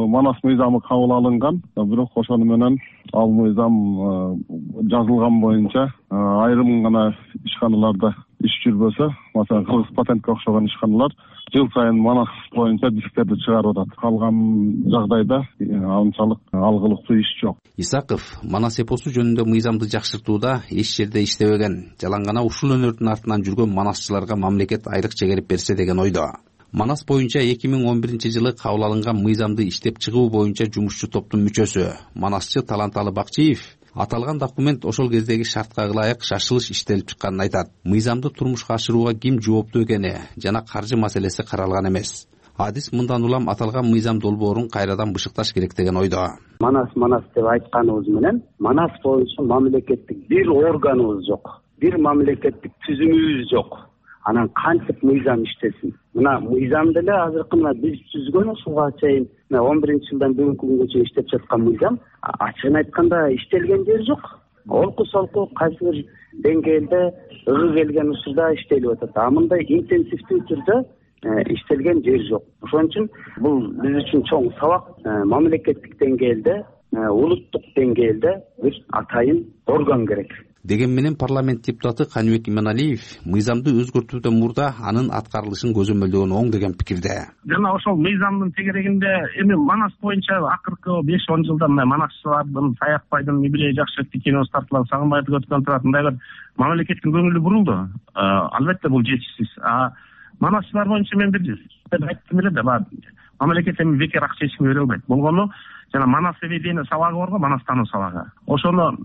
Манас мыйзамы кабыл алынган, бирок ошону менен ал мыйзам жазылган боюнча айрым гана ишканаларда иш жүрбөсө, маселен Кыргыз патентке окшогон ишканалар жыл сайын Манас боюнча дисктерди чыгарып атат. Калган жагдайда анчалык алгылыктуу иш жок. Исаков Манас эпосу жөнүндө мыйзамды жакшыртууда эч жерде иштебеген, жалаң гана ушул өнөрдүн артынан жүргөн манасчыларга мамлекет айлык чегерип берсе деген ойдо. Манас боюнча эки миң он биринчи жылы кабыл алынган мыйзамды иштеп чыгуу боюнча жумушчу топтун мүчөсү, манасчы Таланталы Бакчиев аталган документ ошол кездеги шартка ылайык шашылыш иштелип чыкканын айтат. Мыйзамды турмушка ашырууга ким жооптуу экени жана каржы маселеси каралган эмес. Адис мындан улам аталган мыйзам долбоорун кайрадан бышыкташ керек деген ойдо. Манас манас деп айтканыбыз менен Манас боюнча мамлекеттик бир органыбыз жок, бир мамлекеттик түзүмүбүз жок. Анан кантип мыйзам иштесин? Мына мыйзам деле азыркы мына биз түзгөн ушуга чейин он биринчи жылдан бүгүнкү күнгө чейин иштеп жаткан мыйзам ачыгын айтканда иштелген жери жок. Олку солку кайсы бир деңгээлде ыгы келген учурда иштелип атат. А мындай интенсивдүү түрдө иштелген жери жок. Ошон үчүн бул биз үчүн чоң сабак. Мамлекеттик деңгээлде, улуттук деңгээлде бир атайын орган керек. Деген менен парламент депутаты Каныбек Иманалиев мыйзамды өзгөртүүдөн мурда анын аткарылышын көзөмөлдөгөн оң деген пикирде. Жана ошол мыйзамдын тегерегинде эми Манас боюнча акыркы беш он жылда мына манасчылардын, Саякбайдын юбилей жакшы өттү, киносы тартылган, Сагынбайды өткөн турат мындай бир мамлекеттин көңүлү бурулду. Албетте бул жетишсиз. А манасчылар боюнча мен бир айттым эле да, мамлекет эми бекер акча эчкимге бере албайт. Болгону жана Манас ведение сабагы барго, Манастануу сабагы. Ошону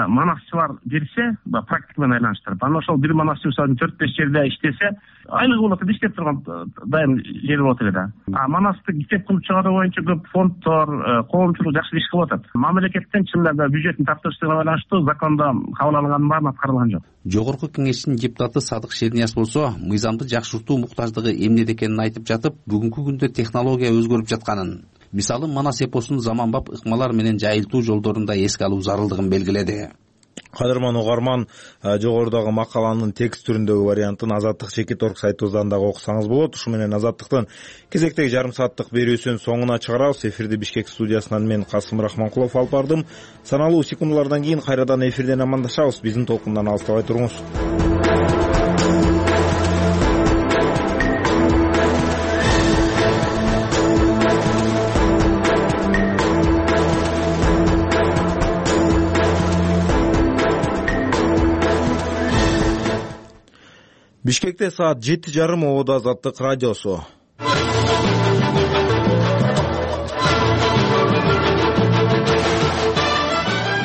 манасчылар берсе, практика менен айланыштырып, анан ошол бир манасчы мисалы төрт беш жерде иштесе, айлыгы болот, иштеп турган дайым жери болот эле да. А Манасты иштеп кылып чыгаруу боюнча көп фонддор, коомчулук жакшы иш кылып атат. Мамлекеттен чындап бюджеттин таптырыштыгына байланыштуу закондо кабыл алынгандын баары аткарылган жок. Жогорку кеңештин депутаты Садык Шернияз болсо, мыйзамды жакшыртуу муктаждыгы эмнеде экенин айтып жатып, бүгүнкү күндө технология өзгөрүп жатканын, мисалы Манас эпосун заманбап ыкмалар менен жайылтуу жолдорунда эске алуу зарылдыгын белгиледи. кадырман угарман, жогорудагы макаланын текст түрүндөгү вариантын Азаттык чекит орг сайтыбыздан дагы окусаңыз болот. Ушу менен Азаттыктын кезектеги жарым сааттык берүүсүнүн соңуна чыгарабыз. Эфирди Бишкек студиясынан мен Касым Рахманкулов алып бардым. Саналуу секундалардан кийин кайрадан эфирден амандашабыз. Биздин толкундан алыстабай туруңуз. Бишкекте саат жети жарым ободо Азаттык радиосу.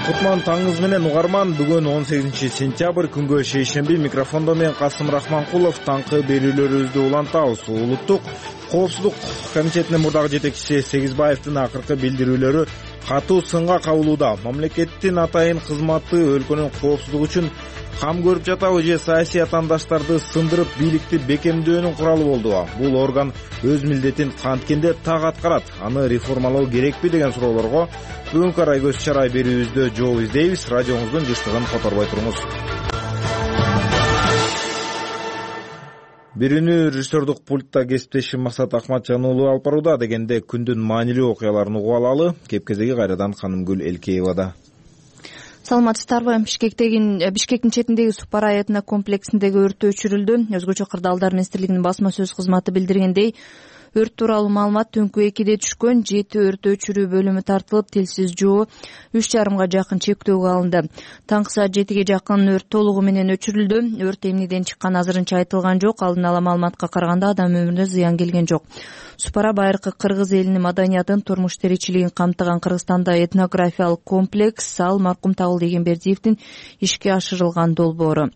Кутман таңыңыз менен угарман. Бүгүн он сегизинчи сентябрь күнгө шейшемби. Микрофондо мен Касым Рахманкулов. Таңкы берүүлөрүбүздү улантабыз. Улуттук коопсуздук комитетинин мурдагы жетекчиси Сегизбаевдин акыркы билдирүүлөрү катуу сынга кабылууда. Мамлекеттин атайын кызматы өлкөнүн коопсуздугу үчүн кам көрүп жатабы же саясий атаандаштарды сындырып бийликти бекемдөөнүн куралы болдубу? Бул орган өз милдетин канткенде так аткарат. Аны реформалоо керекпи деген суроолорго бүгүнкү арай көз чарай берүүбүздө жооп издейбиз. Радиоңуздун жыштыгын которбой туруңуз. Бирүүнү режиссердук пультта кесиптешим Максат Акматжан уулу алып барууда. Дегенде күндүн маанилүү окуяларын угуп алалы. Кепкезеги кайрадан Канымгүл Элкеевада. Саламатсыздарбы? Бишкектеги Бишкектин четиндеги Супара этно комплексиндеги өрт өчүрүлдү. Өзгөчө Кырдаалдар министрлигинин басма сөз кызматы билдиргендей, өрт тууралуу маалымат түнкү экиде түшкөн. Жети өрт өчүрүү бөлүмү тартылып, тилсиз жоо үч жарымга жакын чектөөгө алынды. Таңкы саат жетиге жакын өрт толугу менен өчүрүлдү. Өрт эмнеден чыкканы азырынча айтылган жок. Алдын ала маалыматка караганда адам өмүрүнө зыян келген жок. Супара байыркы кыргыз элинин маданиятын, турмуш тиричилигин камтыган Кыргызстанда этнографиялык комплекс. Ал маркум Табылды Эгембердиевдин ишке ашырылган долбоору.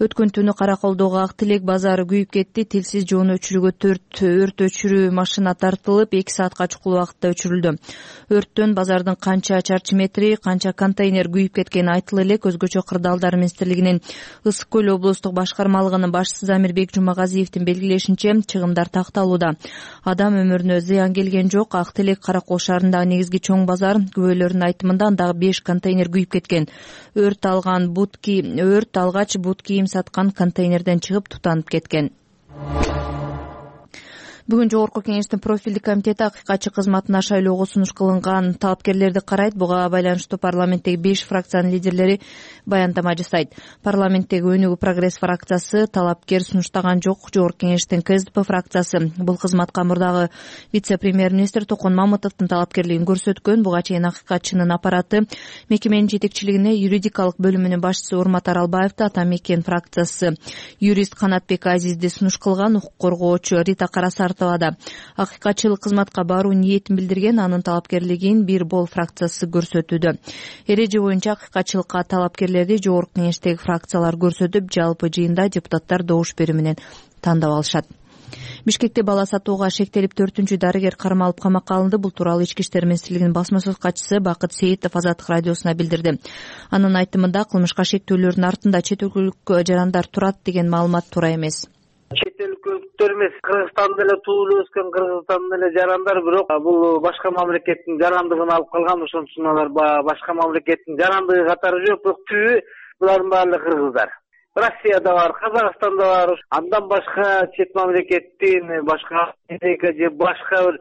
Өткөн түнү Караколдогу Ак Тилек базары күйүп кетти. Тилсиз жоону өчүрүүгө төрт өрт өчүрүү машина тартылып, эки саатка чукул убакытта өчүрүлдү. Өрттөн базардын канча чарчы метри, канча контейнер күйүп кеткени айтыла элек. Өзгөчө Кырдаалдар министрлигинин Ысык көл облустук башкармалыгынын башчысы Замирбек Жумагазиевдин белгилешинче, чыгымдар такталууда. Адам өмүрүнө зыян келген жок. Ак Тилек Каракол шаарындагы негизги чоң базар. Күбөлөрдүн айтымында андагы беш контейнер күйүп кеткен. Өрт алган бут кийим, өрт алгач бут кийим саткан контейнерден чыгып тутанып кеткен. Бүгүн жогорку кеңештин профилдик комитети акыйкатчы кызматына шайлоого сунуш кылынган талапкерлерди карайт. Буга байланыштуу парламенттеги беш фракциянын лидерлери баяндама жасайт. Парламенттеги Өнүгүү прогресс фракциясы талапкер сунуштаган жок. Жогорку кеңештин КСДП фракциясы бул кызматка мурдагы вице-премьер-министр Токон Мамытовдун талапкерлигин көрсөткөн. Буга чейин акыйкатчынын аппараты мекеменин жетекчилигине юридикалык бөлүмүнүн башчысы Урмат Аралбаевди, Ата Мекен фракциясы юрист Канатбек Азизди сунуш кылган. Укук коргоочу Рита Карасар акыйкатчылык кызматка баруу ниетин билдирген. Анын талапкерлигин Бир Бол фракциясы көрсөтүүдө. Эреже боюнча акыйкатчылыкка талапкерлерди жогорку кеңештеги фракциялар көрсөтүп, жалпы жыйында депутаттар добуш берүү менен тандап алышат. Бишкекте бала сатууга шектелип төртүнчү дарыгер кармалып камакка алынды. Бул тууралуу Ички иштер министрлигинин басма сөз катчысы Бакыт Сейитов Азаттык радиосуна билдирди. Анын айтымында кылмышка шектөөлөрдүн артында чет өлкөлүк жарандар турат деген маалымат туура эмес. Чет өлкөлүктөр эмес, Кыргызстанда эле туулуп өскөн, Кыргызстанда эле жарандар, бирок бул башка мамлекеттин жарандыгын алып калган. Ошон үчүн алар башка мамлекеттин жарандыгы катары жок, бирок түбү булардын баары кыргыздар. Россияда бар, Казакстанда бар. Андан башка чет мамлекеттин башка же башка бир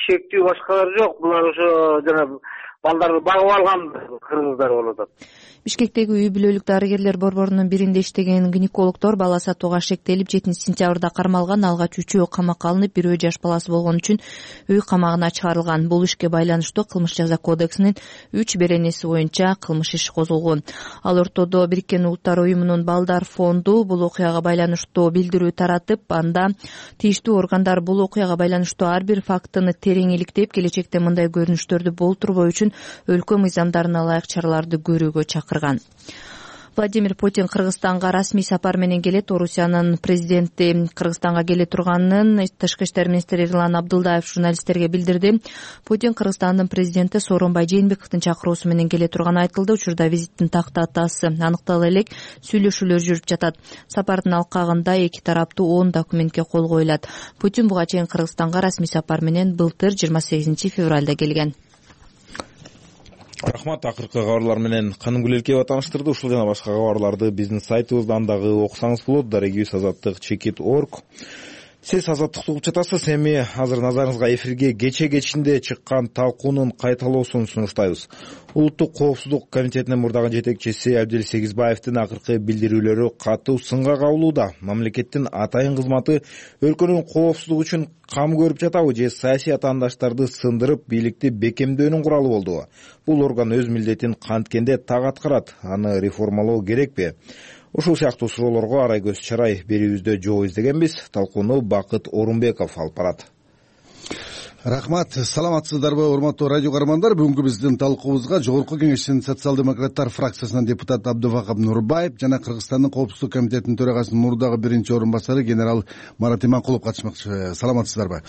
шектүү башкалар жок. Булар ошо жана балдарды багып алган кыргыздар болуп атат. Бишкектеги үй бүлөлүк дарыгерлер борборунун биринде иштеген гинекологдор бала сатууга шектелип жетинчи сентябрда кармалган. Алгач үчөө камакка алынып, бирөө жаш баласы болгон үчүн үй камагына чыгарылган. Бул ишке байланыштуу Кылмыш жаза кодексинин үч беренеси боюнча кылмыш иши козголгон. Ал ортодо Бириккен Улуттар уюмунун балдар фонду бул окуяга байланыштуу билдирүү таратып, анда тийиштүү органдар бул окуяга байланыштуу ар бир фактыны терең иликтеп, келечекте мындай көрүнүштөрдү болтурбоо үчүн өлкө мыйзамдарына ылайык чараларды көрүүгө чакырган. Владимир Путин Кыргызстанга расмий сапар менен келет. Орусиянын президенти Кыргызстанга келе турганын Тышкы иштер министри Эрлан Абдылдаев журналисттерге билдирди. Путин Кыргызстандын президенти Сооронбай Жээнбековдун чакыруусу менен келе турганы айтылды. Учурда визиттин тактатасы аныктала элек, сүйлөшүүлөр жүрүп жатат. Сапардын алкагында эки тараптуу он документке кол коюлат. Путин буга чейин Кыргызстанга расмий сапар менен былтыр жыйырма сегизинчи февралда келген. рахмат. Акыркы кабарлар менен Канымгүл Элкеева тааныштырды. Ушул жана башка кабарларды биздин сайтыбыздан дагы окусаңыз болот. Дарегибиз азаттык чекит точка орг. Сиз азаттыкты угуп жатасыз. Эми азыр назарыңызга эфирге кече кечинде чыккан талкуунун кайталоосун сунуштайбыз. Улуттук коопсуздук комитетинин мурдагы жетекчиси Абдел Сегизбаевдин акыркы билдирүүлөрү катуу сынга кабылууда. Мамлекеттин атайын кызматы өлкөнүн коопсуздугу үчүн кам көрүп жатабы же саясий атаандаштарды сындырып бийликти бекемдөөнүн куралы болдубу? Бул орган өз милдетин канткенде так аткарат. Аны реформалоо керекпи? Ушул сыяктуу суроолорго арай көз чарай берүүбүздө жооп издегенбиз. Талкууну Бакыт Орунбеков алып барат. Рахмат. Саламатсыздарбы, урматтуу радио каармандар? Бүгүнкү биздин талкуубузга Жогорку Кеңештин социал-демократтар фракциясынан депутат Абдувахап Нурбаев жана Кыргызстандын Коопсуздук комитетинин төрагасынын мурдагы биринчи орун басары генерал Марат Иманкулов катышмакчы. Саламатсыздарбы?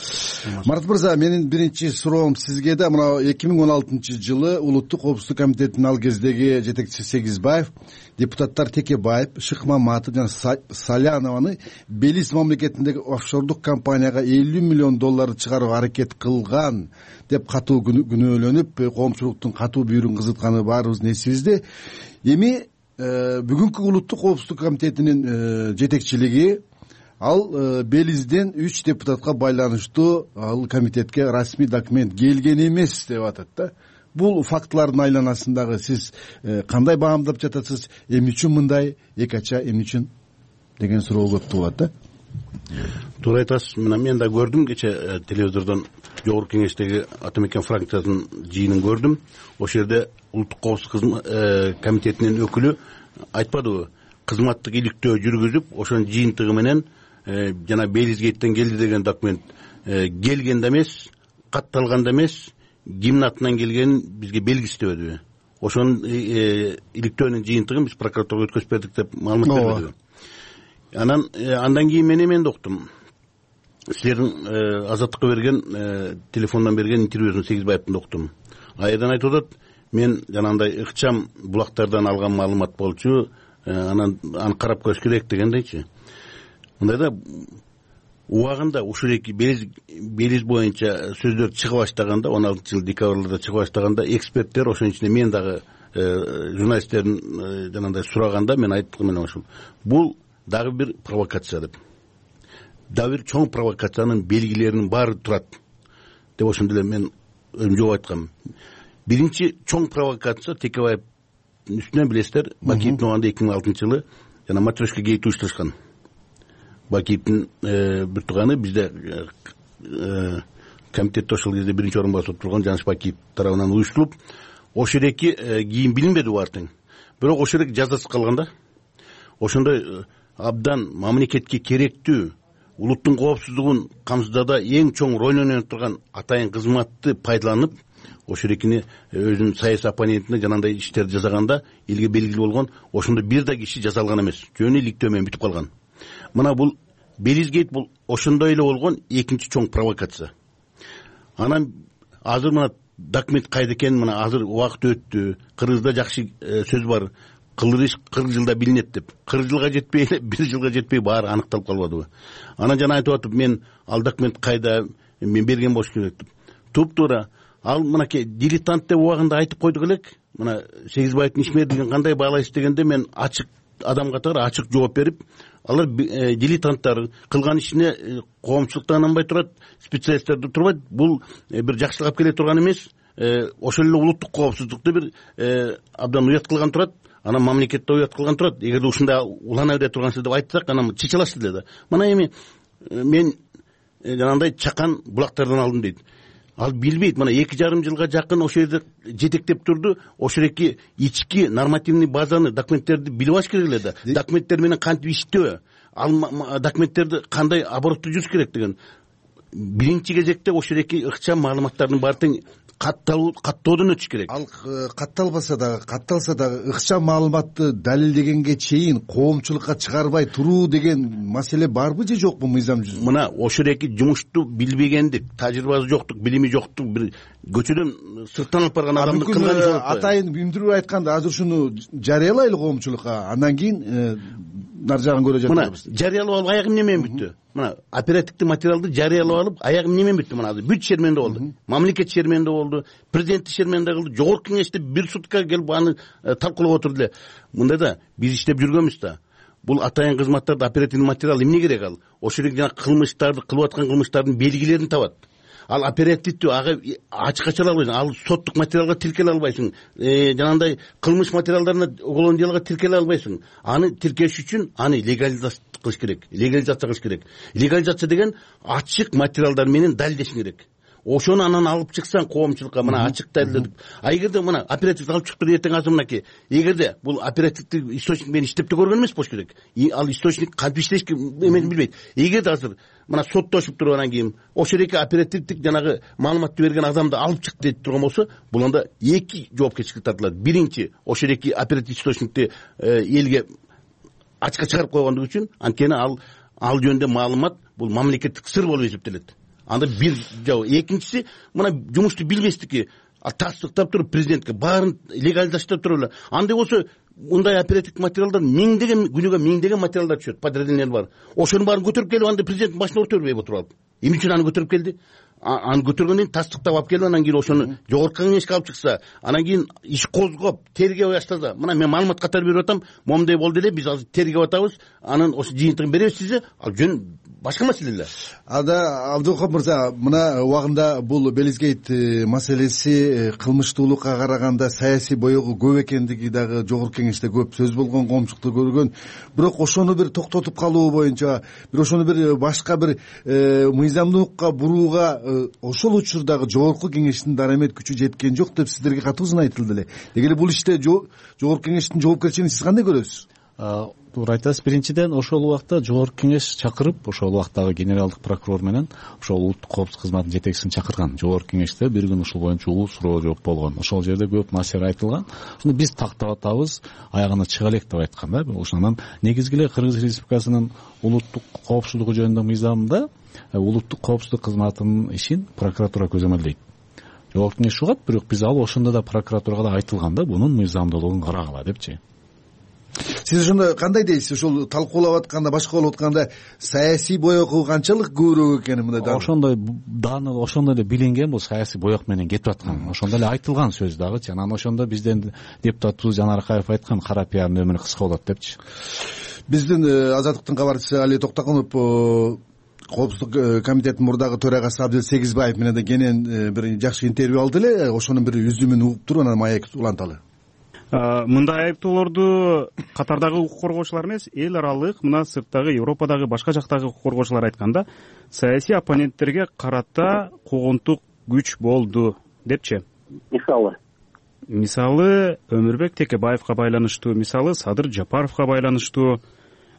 Марат мырза, менин биринчи суроом сизге да. Мына эки миң он алтынчы жылы Улуттук Коопсуздук комитетинин ал кездеги жетекчиси Сегизбаев, депутаттар Текебаев, Шыкмаматов жана Салянованы Белиз мамлекетиндеги офшордук компанияга элүү миллион доллар чыгарууга аракет кылган деп катуу күнөөлөнүп, коомчулуктун катуу бүйүрүн кызытканы баарыбыздын эсибизде. Эми бүгүнкү Улуттук Коопсуздук комитетинин жетекчилиги ал Белизден үч депутатка байланыштуу ал комитетке расмий документ келген эмес деп атат да. Бул фактылардын айланасындагы сиз кандай баамдап жатасыз? Эмне үчүн мындай, эки ача эмне үчүн деген суроо көп туулат да. Туура айтасыз. Мына мен да көрдүм кече телевизордон Жогорку Кеңештеги Ата Мекен фракциясынын жыйынын көрдүм. Ошол жерде Улуттук Коопсуздук комитетинин өкүлү айтпадыбы, кызматтык иликтөө жүргүзүп, ошонун жыйынтыгы менен жана Белизгейттен келди деген документ келген да эмес, катталган да эмес, кимдин атынан келгенин бизге белгисиздебедиби? Ошонун иликтөөнүн жыйынтыгын биз прокуратурага өткөзүп бердик деп маалымат бербедиби? Анан андан кийин мен эменди уктум. Силердин Азаттыкка берген телефондон берген интервьюсун Сегизбаевдин уктум. Айдан айтып атат, мен жанагындай ыкчам булактардан алган маалымат болчу, анан аны карап көрүш керек дегендейчи. Мындайда убагында ушул эки Белиз боюнча сөздөр чыга баштаганда, он алтынчы жыл декабрда чыга баштаганда, эксперттер, ошонун ичинде мен дагы журналисттердин жанагындай сураганда мен айттым мен ошол. Бул дагы бир провокация деп. Дагы бир чоң провокациянын белгилеринин баары турат деп ошондо эле мен өзүм жооп айткам. Биринчи чоң провокация Текебаевдин үстүнөн билесиздер, Бакиевдин убагында эки миң алтынчы жылы жана матрешка гейт уюштурушкан. Бакиевдин бир тууганы бизде комитетте ошол кезде биринчи орун басып турган Жаныш Бакиев тарабынан уюштурулуп, ошол эки кийин билинбеди баартың. Бирок ошол эки жазасыз калган да. Ошондой абдан мамлекетке керектүү, улуттун коопсуздугун камсыздауда эң чоң роль ойноп турган атайын кызматты пайдаланып, ошол экини өзүнүн саясий оппонентине жанагындай иштерди жасаганда элге белгилүү болгон, ошондо бир да киши жазалган эмес, жөнү иликтөө менен бүтүп калган. Мына бул Белизгейт бул ошондой эле болгон экинчи чоң провокация. Анан азыр мына документ кайда экенин мына азыр убакыт өттү. Кыргызда жакшы сөз бар. Кылыр иш кырк жылда билинет деп. кырк жылга жетпей, бир жылга жетпей баары аныкталып калбадыбы? Анан жана айтып атып, мен ал документ кайда, мен берген болуш керек деп. Туп-туура ал мынакей дилетант деп убагында айтып койдук элек. Мына Сегизбаевдин ишмердигин кандай баалайсыз дегенде мен ачык адам катары ачык жооп берип, алар дилетанттар кылган ишине коомчулуктан анбай турат, специалисттерди турбайт. Бул бир жакшылык алып келе турган эмес. Ошол эле улуттук коопсуздукту бир абдан уят кылган турат. Анан мамлекетте уят кылган турат. Эгерде ушундай улана бере тургансыз деп айтсак, анан чечилашты эле да. Мына эми мен жанагындай чакан булактардан алдым дейт. Ал билбейт, мына эки жарым жылга жакын ошол жерде жетектеп турду. Ошол эки ички нормативный базаны, документтерди билип алыш керек эле да. Документтер менен кантип иштөө, ал документтерди кандай оборотто жүрүш керек деген. Биринчи кезекте ошол эки ыкчам маалыматтардын баардыгын каттоодон өтүш керек. Ал катталбаса дагы, катталса дагы ыкчам маалыматты далилдегенге чейин коомчулукка чыгарбай туруу деген маселе барбы же жокпу мыйзам жүзүндө? Мына ошол эки жумушту билбегендик, тажрыйбасы жоктук, билими жоктук, бир көчөдөн сырттан алып барган адамды кылган жок. Атайын билдирүү айтканда азыр ушуну жарыялайлы коомчулукка, андан кийин нар жагын көрө жатабыз. Мына жарыялап алып аягы эмне менен бүттү? Мына оперативдик материалды жарыялап алып аягы эмне менен бүттү? Мына азыр бүт шерменде болду. Мамлекет шерменде болду, президент шерменде кылды, жогорку кеңеште бир сутка келип аны талкуулап отурду эле. Мында да биз иштеп жүргөнбүз да. Бул атайын кызматтарда оперативдик материал эмне керек ал? Ошол жерде жана кылмыштарды кылып аткан кылмыштардын белгилерин табат. Ал оперативдүү ага ачык ачыла албайсың, ал соттук материалга тиркеле албайсың, жанагындай кылмыш материалдарына уголовное делого тиркеле албайсың. Аны тиркеш үчүн аны легализация кылыш керек, легализация кылыш керек. Легализация деген ачык материалдар менен далилдеш керек. Ошону анан алып чыксаң коомчулукка мына ачык далилдеп. А эгерде мына оперативдик алып чыктыр эртең азыр мынакей, эгерде бул оперативдик источник менен иштеп да көргөн эмес болуш керек. Ал источник кантип иштешки эмесин билбейт. Эгерде азыр мына соттошуп туруп анан кийин ошол эки оперативдик жанагы маалыматты берген адамды алып чык деп турган болсо, бул анда эки жоопкерчиликке тартылат. Биринчи, ошол эки оперативдик источникти элге ачыкка чыгарып койгондугу үчүн, анткени ал ал жөнүндө маалымат бул мамлекеттик сыр болуп эсептелет. Анда бир жабы. Экинчиси, мына жумушту билбестики, тастыктап туруп президентке баарын легализациялап туруп эле. Андай болсо мындай оперативдик материалдар миңдеген күнүгө миңдеген материалдар түшөт, подразделениялар бар. Ошонун баарын көтөрүп келип анда президенттин башына өтөрбөй отуруп алып. Эмне үчүн аны көтөрүп келди? Аны көтөргөндөн кийин тастыктап алып келип анан кийин ошону жогорку кеңешке алып чыкса, анан кийин иш козгоп, тергеп баштаса, мына мен маалымат катары берип атам, момундай болду эле, биз азыр тергеп атабыз, анан ошо жыйынтыгын беребиз сизге, ал жөн башка маселе эле. Ада Абдулкап мырза, мына убагында бул Белизгейт маселеси кылмыштуулукка караганда саясий боёгу көп экендиги дагы жогорку кеңеште көп сөз болгон, коомчулукта көргөн. Бирок ошону бир токтотуп калуу боюнча, бир ошону бир башка бир мыйзамдуулукка бурууга ошол учурдагы жогорку кеңештин дарамет күчү жеткен жок деп сиздерге катуусун айтылды эле. Деги эле бул иште жогорку кеңештин жоопкерчилигин сиз кандай көрөсүз? Туура айтасыз. Биринчиден ошол убакта жогорку кеңеш чакырып, ошол убактагы генералдык прокурор менен ошол улуттук коопсуздук кызматынын жетекчисин чакырган. Жогорку кеңеште бир күн ушул боюнча улуу суроо жооп болгон. Ошол жерде көп маселе айтылган. Ошону биз тактап атабыз, аягына чыга элек деп айткан да. Ошондон негизги эле Кыргыз Республикасынын улуттук коопсуздугу жөнүндө мыйзамында улуттук коопсуздук кызматынын ишин прокуратура көзөмөлдөйт. Жогорку кеңеш угат, бирок биз ал ошондо да прокуратурага да айтылган да, бунун мыйзамдуулугун карагыла депчи. Сиз ошондо кандай дейсиз? Ошол талкуулап атканда, башка болуп атканда саясий боёгу канчалык көбүрөөк экени мындай да? Ошондой даны ошондой эле билинген, бул саясий боёк менен кетип аткан. Ошондой эле айтылган сөз дагычы. Анан ошондо бизден депутатыбыз Жанар Акаев айткан, кара пиардын өмүрү кыска болот депчи. Биздин Азаттыктын кабарчысы Али Токтокунов коопсуздук комитетинин мурдагы төрагасы Абдел Сегизбаев менен да кенен бир жакшы интервью алды эле. Ошонун бир үзүмүн угуп туруп анан маек уланталы. Мындай айыптоолорду катардагы укук коргоочулар эмес, эл аралык, мына сырттагы Европадагы башка жактагы укук коргоочулар айтканда, саясий оппоненттерге карата куугунтук күч болду депчи. Мисалы мисалы Өмүрбек Текебаевка байланыштуу, мисалы Садыр Жапаровго байланыштуу,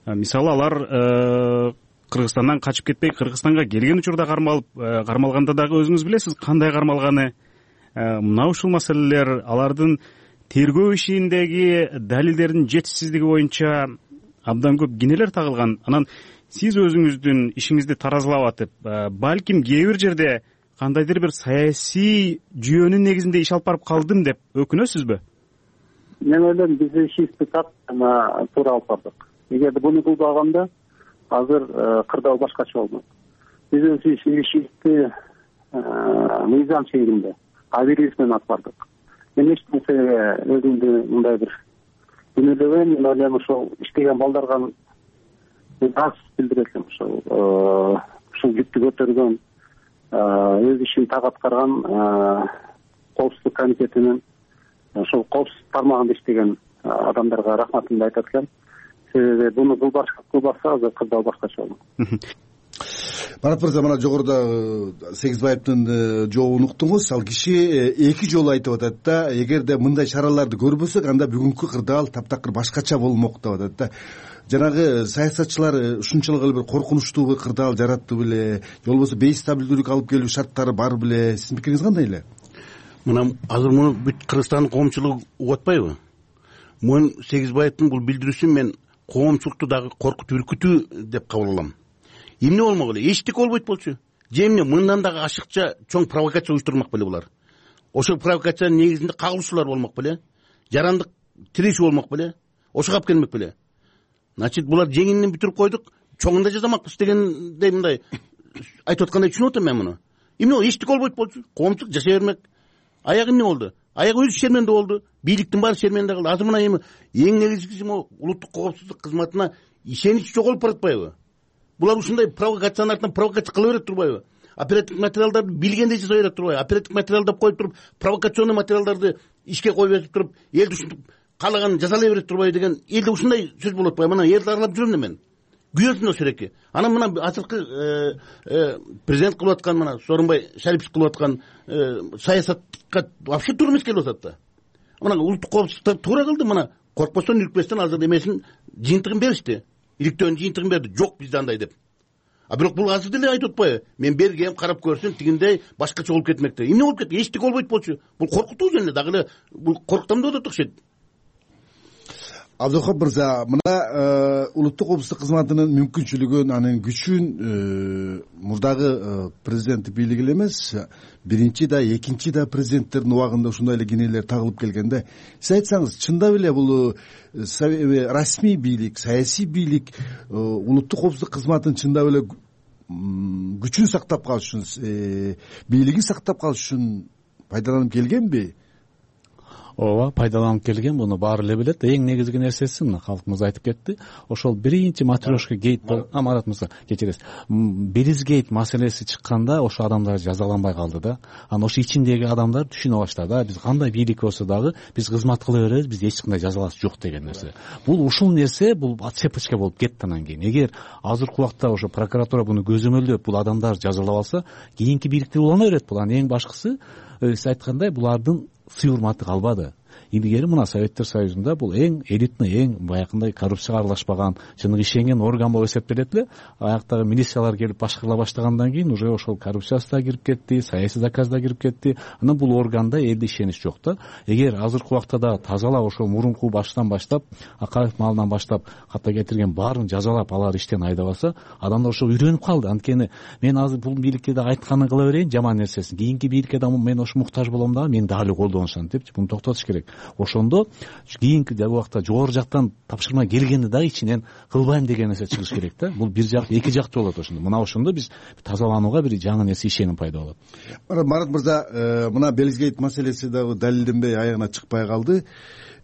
мисалы алар Кыргызстандан качып кетпей Кыргызстанга келген учурда кармалып кармалганда дагы өзүңүз билесиз кандай кармалганы. Мына ушул маселелер алардын тергөө ишиндеги далилдердин жетишсиздиги боюнча абдан көп кинелер тагылган. Анан сиз өзүңүздүн ишиңизди таразылап атып, балким кээ бир жерде кандайдыр бир саясий жүйөнүн негизинде иш алып барып калдым деп өкүнөсүзбү? Мен ойлойм, биз ишибизди так туура алып бардык. Эгерде буну кылбаганда азыр кырдаал башкача болмок. Биз өз ишибизди мыйзам чегинде абийирибиз менен алып бардык. Мен эч нерсеге өзүмдү мындай бир күнөөлөбөйм. Мен ойлойм, ошол иштеген балдарга аз билдирет элем. Ошол ушул жүктү көтөргөн, өз ишин так аткарган коопсуздук комитетинин ошол коопсуздук тармагында иштеген адамдарга рахматымды айтат элем. Себеби буну кылбаса азыр кырдаал башкача болмок. Марат мырза, мына жогоруда Сегизбаевдин жообун уктуңуз. Ал киши эки жолу айтып атат да, эгерде мындай чараларды көрбөсөк, анда бүгүнкү кырдаал таптакыр башкача болмок деп атат да. Жанагы саясатчылар ушунчалык эле бир коркунучтуу кырдаал жаратты беле, же болбосо бейстабилдүүлүк алып келүү шарттары бар беле? Сиздин пикириңиз кандай эле? Мына азыр муну бүт Кыргызстандын коомчулугу угуп атпайбы? Мун Сегизбаевдин бул билдирүүсүн мен коомчулукту дагы коркутуп үркүтүү деп кабыл алам. Эмне болмок эле? Эчтеке болбойт болчу. Же эмне мындан дагы ашыкча чоң провокация уюштурмак беле булар? Ошол провокациянын негизинде кагылышуулар болмок беле? Жарандык тирешүү болмок беле? Ошого алып келмек беле? значит булар жеңинен бүтүрүп койдук, чоңун да жазамакпыз дегендей мындай айтып аткандай түшүнүп атам мен муну. Эмне болду? Эчтеке болбойт болчу. Коомчулук жашай бермек. Аягы эмне болду? Аягы өзү шерменде болду. Бийликтин баары шерменде калды. Азыр мына эми эң негизгиси могу улуттук коопсуздук кызматына ишенич жоголуп баратпайбы? Булар ушундай провокациянын артынан провокация кыла берет турбайбы? Оперативдик материалдарды билгендей жасай берет турбайбы? Оперативдик материалдап коюп туруп, провокационный материалдарды ишке коюп берип туруп, элди ушинтип каалаганын жасалай берет турбайбы деген элде ушундай сөз болуп атпайбы? Мына элди аралап жүрөм да мен. Күйөсүн ошол эки. Анан мына азыркы президент кылып аткан мына Сооронбай Шарипович кылып аткан саясатка вообще туура эмес келип атат да. Мына улуттук коопсуздукта туура кылды, мына коркпостон үркпөстөн азыр эмесин жыйынтыгын беришти. Иликтөөнүн жыйынтыгын берди. Жок бизде андай деп. А бирок бул азыр деле айтып атпайбы? Мен бергем, карап көрсүн, тигиндей башкача болуп кетмек деп. Эмне болуп кетти? Эчтеке болбойт болчу. Бул коркутуу эле, дагы эле бул коркутам деп атат окшойт. Абдухап мырза, мына улуттук коопсуздук кызматынын мүмкүнчүлүгүн, анын күчүн мурдагы президенттик бийлик эле эмес, биринчи да, экинчи да президенттердин убагында ушундай эле кенелер тагылып келгенде, сиз айтсаңыз, чындап эле бул расмий бийлик, саясий бийлик улуттук коопсуздук кызматынын чындап эле күчүн сактап калыш үчүн, бийлигин сактап калыш үчүн пайдаланып келгенби? ооба, пайдаланып келген, муну баары эле билет. Эң негизги нерсеси мына калкыбыз айтып кетти. Ошол биринчи матрешка гейт бол, Марат мырза, кечиресиз. Биризгейт маселеси чыкканда ошо адамдар жазаланбай калды да. Анан ошо ичиндеги адамдар түшүнө баштады. Биз кандай бийлик болсо дагы биз кызмат кыла беребиз, биз эч кандай жазалаш жок деген нерсе. Бул ушул нерсе, бул отсепочка болуп кетти анан кийин. Эгер азыркы убакта ошо прокуратура буну көзөмөлдөп, бул адамдар жазалап алса, кийинки бийликте улана берет бул. Анан эң башкысы, сиз айткандай, булардын сый урматы калбады. Илгери мына Советтер Союзунда бул эң элитный, эң баягындай коррупцияга аралашпаган, чыныгы ишенген орган болуп эсептелет эле. Аяктагы милициялар келип башкарыла баштагандан кийин уже ошол коррупциясы да кирип кетти, саясий заказ да кирип кетти. Анан бул органда элде ишенич жок да. Эгер азыркы убакта да тазалап ошол мурунку баштан баштап, Акаев маалынан баштап ката кетирген баарын жазалап, алар иштен айдабаса, адамдар ошо үйрөнүп калды. Анткени мен азыр бул бийликке да айтканын кыла берейин, жаман нерсесин. Кийинки бийликке да мен ошо муктаж болом дагы, мен дагы колдонушам депчи, буну токтотуш керек. Ошондо кийинки убакта жогору жактан тапшырма келгенде дагы ичинен кылбайм деген нерсе чыгыш керек да. Бул бир жак, эки жактуу болот ошондо. Мына ошондо биз тазаланууга бир жаңы нерсе, ишеним пайда болот. Марат мырза, мына Белизгейт маселеси дагы далилденбей аягына чыкпай калды.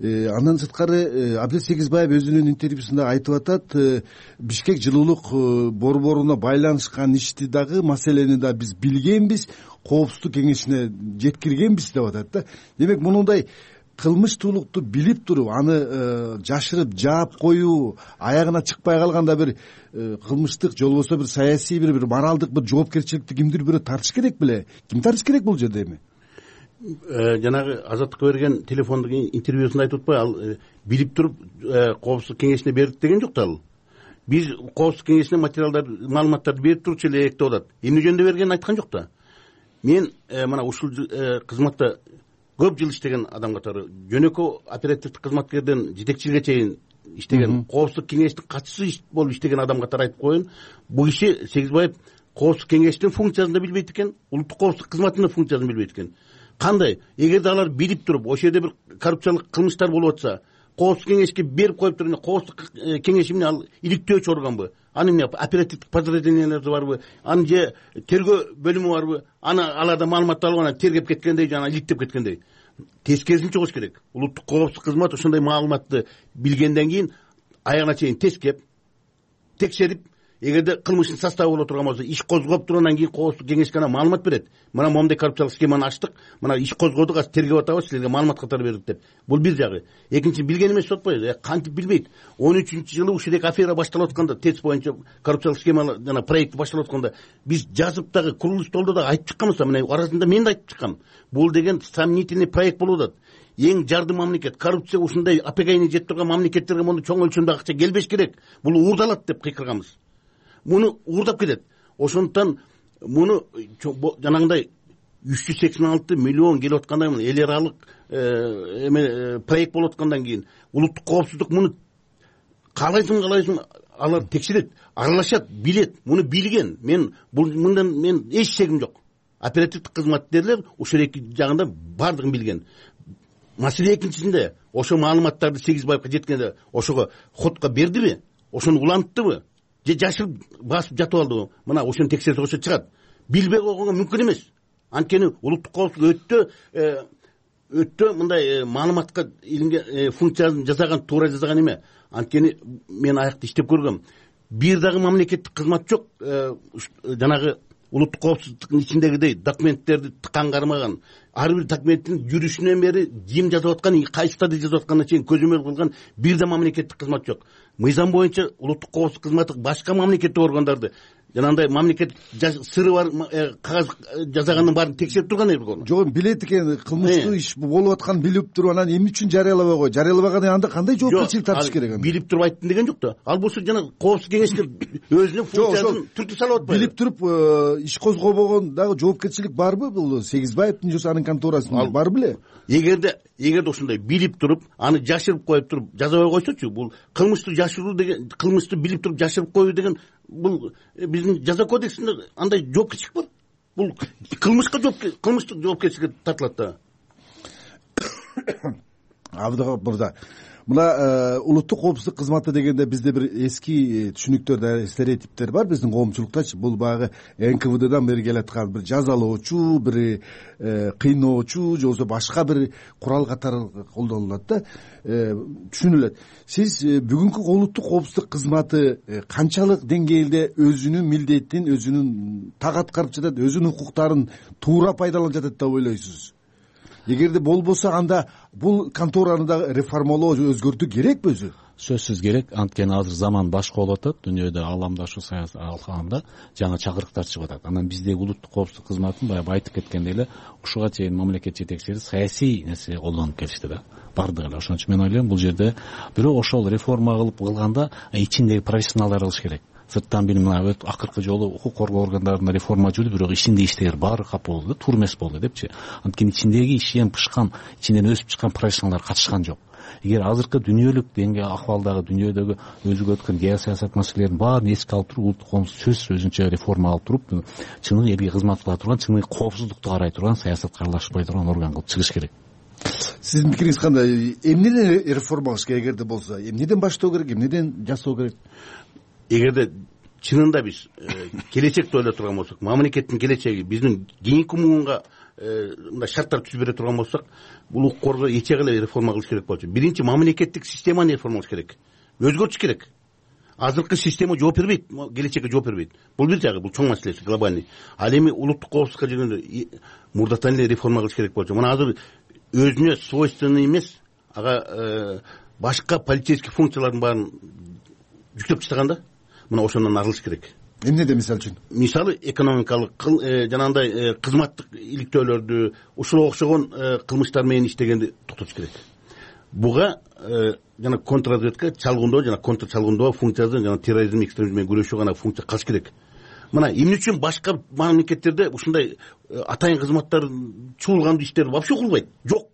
Андан сырткары Абдел Сегизбаев өзүнүн интервьюсунда айтып атат, Бишкек жылуулук борборуна байланышкан ишти дагы, маселени да биз билгенбиз, коопсуздук кеңешине жеткиргенбиз деп атат да. Демек мындай кылмыштуулукту билип туруп, аны жашырып жаап коюу, аягына чыкпай калганда бир кылмыштык же болбосо бир саясий бир бир моралдык бир жоопкерчиликти кимдир бирөө тартыш керек беле? Ким тартыш керек бул жерде эми? Жанагы Азаттыкка берген телефондук интервьюсунда айтып атпайбы, ал билип туруп коопсуздук кеңешине бердик деген жок да ал. Биз коопсуздук кеңешине материалдар, маалыматтарды берип турчу элек деп атат. Эмне жөнүндө бергенин айткан жок да. Мен мына ушул кызматта көп жыл иштеген адам катары, жөнөкөй оперативдик кызматкерден жетекчиликке чейин иштеген, коопсуздук кеңештин катчысы болуп иштеген адам катары айтып коеюн. Бул киши Сегизбаев коопсуздук кеңештин функциясын да билбейт экен, улуттук коопсуздук кызматынын функциясын билбейт экен. Кандай? Эгерде алар билип туруп, ошол жерде бир коррупциялык кылмыштар болуп атса, коопсуздук кеңешке берип коюп туруп, коопсуздук кеңеш эмне, ал иликтөөчү органбы? Аны эмне, оперативдик подразделениялар барбы? Аны же тергөө бөлүмү барбы? Аны аларда маалымат алып, аны тергеп кеткендей, жана иликтеп кеткендей. Тескерисин чыгыш керек. Улуттук коопсуздук кызмат ошондой маалыматты билгенден кийин аягына чейин тескеп, текшерип, эгерде кылмыштын составы боло турган болсо, иш козгоп туруп, анан кийин коопсуздук кеңешке маалымат берет. Мына момундай коррупциялык схеманы ачтык, мына иш козгодук, азыр тергеп атабыз, силерге маалымат катары бердик деп. Бул бир жагы. Экинчи, билген эмес деп атпайбы? Кантип билбейт? он үчүнчү жылы ушул эки афера башталып атканда, ТЭЦ боюнча коррупциялык схема жана проект башталып атканда, биз жазып дагы курулуш толдо дагы айтып чыкканбыз, мына арасында мен да айтып чыккам. Бул деген сомнительный проект болуп атат. Эң жарды мамлекет, коррупция ушундай апегайны жетип турган мамлекеттерге мону чоң өлчөмдө акча келбеш керек. Бул уурдалат деп кыйкырганбыз. Муну уурдап кетет. Ошондуктан муну жанагындай үч жүз сексен алты миллион келип атканда, эл аралык эме проект болуп аткандан кийин улуттук коопсуздук муну каалайсың каалайсың алар текшерет, аралашат, билет. Муну билген. Мен бул мындан мен эч шегим жок. Оперативдик кызматкерлер ушул эки жагында бардыгын билген. Маселе экинчисинде, ошо маалыматтарды Сегизбаевка жеткенде ошого ходко бердиби? ошону уланттыбы же жашырып басып жатып алдыбы, мына ошону текшерсе ошо чыгат. Билбей койгонго мүмкүн эмес. Анткени улуттук коопсуздук өтө өтө мындай маалыматка илинген функциясын жасаган, туура жасаган эме. Анткени мен аякта иштеп көргөм. Бир дагы мамлекеттик кызмат жок, жанагы улуттук коопсуздуктун ичиндегидей документтерди тыккан кармаган, ар бир документтин жүрүшүнөн бери ким жазып аткан, кайсы стадия жазып атканына чейин көзөмөл кылган бир да мамлекеттик кызмат жок. Мыйзам боюнча улуттук коопсуздук кызматы башка мамлекеттик органдарды жанагындай мамлекет сыры бар кагаз жасаганын баарын текшерип турган эле. Жок, билет экен, кылмыштуу иш болуп атканын билип туруп анан эмне үчүн жарыялабай кой? Жарыялабаганда анда кандай жоопкерчилик тартыш керек анда? Билип туруп айттым деген жок да. Ал болсо жана коопсуздук кеңешке өзүнүн функциясын түртүп салып атпайбы? Билип туруп иш козгобогон дагы жоопкерчилик барбы? Бул Сегизбаевдин же анын конторасында бар беле? Эгерде эгерде ошондой билип туруп, аны жашырып коюп туруп жазабай койсочу, бул кылмыштуу жашыруу деген, кылмыштуу билип туруп жашырып коюу деген бул биздин жаза кодексинде андай жоопкерчилик бар. Бул кылмышка жоопкерчилик, кылмыштык жоопкерчиликке тартылат да. Абдыга мырза, мына улуттук коопсуздук кызматы дегенде бизде бир эски түшүнүктөр, стереотиптер бар биздин коомчулуктачы. Бул баягы эн ка вэ дэдан бери келаткан бир жазалоочу, бир кыйноочу же болбосо башка бир курал катары колдонулат да, түшүнүлөт. Сиз бүгүнкү улуттук коопсуздук кызматы канчалык деңгээлде өзүнүн милдетин, өзүнүн так аткарып жатат, өзүнүн укуктарын туура пайдаланып жатат деп ойлойсуз? Эгерде болбосо анда бул контораны да реформалоо, өзгөртүү керекпи өзү? Сөзсүз керек. Анткени азыр заман башка болуп атат. Дүйнөдө аламдашуу саясат алкагында жаңы чакырыктар чыгып атат. Анан биздеги улуттук коопсуздук кызматын баягы айтып кеткендей эле ушуга чейин мамлекет жетекчилери саясий нерсе колдонуп келишти да. Бардыгы эле. Ошон үчүн мен ойлойм бул жерде бирок ошол реформа кылып кылганда ичиндеги профессионалдар кылыш керек. Сырттан бир мына акыркы жолу укук коргоо органдарында реформа жүрдү, бирок ичинде иштегер баары кап болду да, туура эмес болду депчи. Анткени ичиндеги ишен пышкан, ичинен өсүп чыккан профессионалдар катышкан жок. Эгер азыркы дүйнөлүк деңгээлде акыбалдагы дүйнөдөгү өзүгө өткөн геосаясат маселелерин баарын эске алып туруп, улуттук коопсуздук сөзсүз өзүнчө реформа алып туруп, чыныгы элге кызмат кыла турган, чыныгы коопсуздукту карай турган, саясатка аралашпай турган орган кылып чыгыш керек. Сиздин пикириңиз кандай? Эмнеден реформа кылыш керек эгерде болсо? Эмнеден баштоо керек, эмнеден жасоо керек? Эгерде чынында биз келечекти ойлой турган болсок, мамлекеттин келечеги биздин кийинки муунга мындай шарттар түзүп бере турган болсок, бул укук коргоо эчеге эле реформа кылыш керек болчу. Биринчи мамлекеттик системаны реформа кылыш керек, өзгөртүш керек. Азыркы система жооп бербейт, келечекке жооп бербейт. Бул бир жагы, бул чоң маселеси, глобальный. Ал эми улуттук коопсуздукка келгенде мурдатан эле реформа кылыш керек болчу. Мына азыр өзүнө свойственный эмес, ага башка полицейский функциялардын баарын жүктөп таштаганда, мына ошондон арылыш керек. Эмнеде мисалы үчүн? Мисалы экономикалык жанагындай кызматтык иликтөөлөрдү, ушуга окшогон кылмыштар менен иштегенди токтотуш керек. Буга жана контрразведка чалгындоо жана контр чалгындоо функциясы, жана терроризм, экстремизм менен күрөшүү гана функция калыш керек. Мына эмне үчүн башка мамлекеттерде ушундай атайын кызматтар чуулгандуу иштер вообще кылбайт? Жок.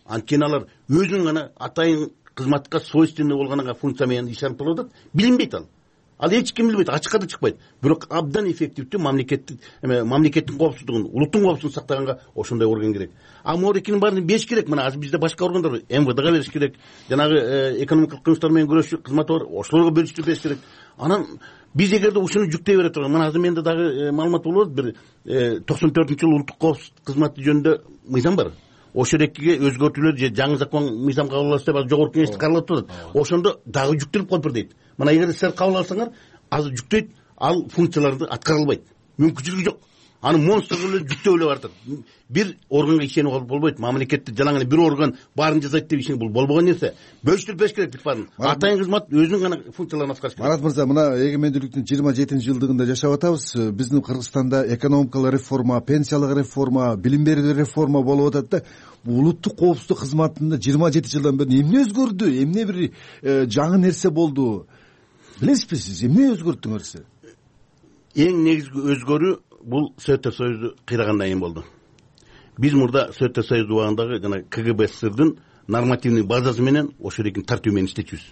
Анткени алар өзүнүн гана атайын кызматка свойственный болгон функция менен иш алып келип атат, билинбейт ал. Ал эч ким билбейт, ачыкка да чыкпайт. Бирок абдан эффективдүү мамлекеттик мамлекеттин коопсуздугун, улуттун коопсуздугун сактаганга ошондой орган керек. А морекинин баарын бериш керек. Мына азыр бизде башка органдар бар, эм вэ дэга бериш керек. Жанагы экономикалык кылмыштар менен күрөшүү кызматы бар, ошолорго бөлүштүрүп бериш керек. Анан биз эгерде ушуну жүктөй бере турган, мына азыр менде дагы маалымат болуп атат, бир токсон төртүнчү жылы улуттук коопсуздук кызматы жөнүндө мыйзам бар. Ошол экиге өзгөртүүлөр же жаңы закон мыйзам кабыл алабыз деп жогорку кеңеште каралып атат. Ошондо дагы жүктөлүп калыптыр дейт. Мына эгер силер кабыл алсаңар, азыр жүктөйт, ал функцияларды аткара албайт. Мүмкүнчүлүгү жок. Аны монстр кылып жүктөп эле баратат. Бир органга ишенип болбойт. Мамлекетти жалаң эле бир орган баарын жасайт деп ишенип бул болбогон нерсе. Бөлүштүрүп бериш керек баарын. Атайын кызмат өзүнүн гана функцияларын аткарыш керек. Марат мырза, мына эгемендүүлүктүн жыйырма жетинчи жылдыгында жашап атабыз. Биздин Кыргызстанда экономикалык реформа, пенсиялык реформа, билим берүүдө реформа болуп атат да. Улуттук коопсуздук кызматында жыйырма жети жылдан бери эмне өзгөрдү? Эмне бир жаңы нерсе болду? Билесизби сиз, эмне өзгөрттүңөр сиз? Эң негизги өзгөрүү бул Советтер Союзу кыйрагандан кийин болду. Биз мурда Советтер Союзу убагындагы жана ка гэ бэ эс эс эр дин нормативный базасы менен ошол экинин тартуу менен иштечүбүз.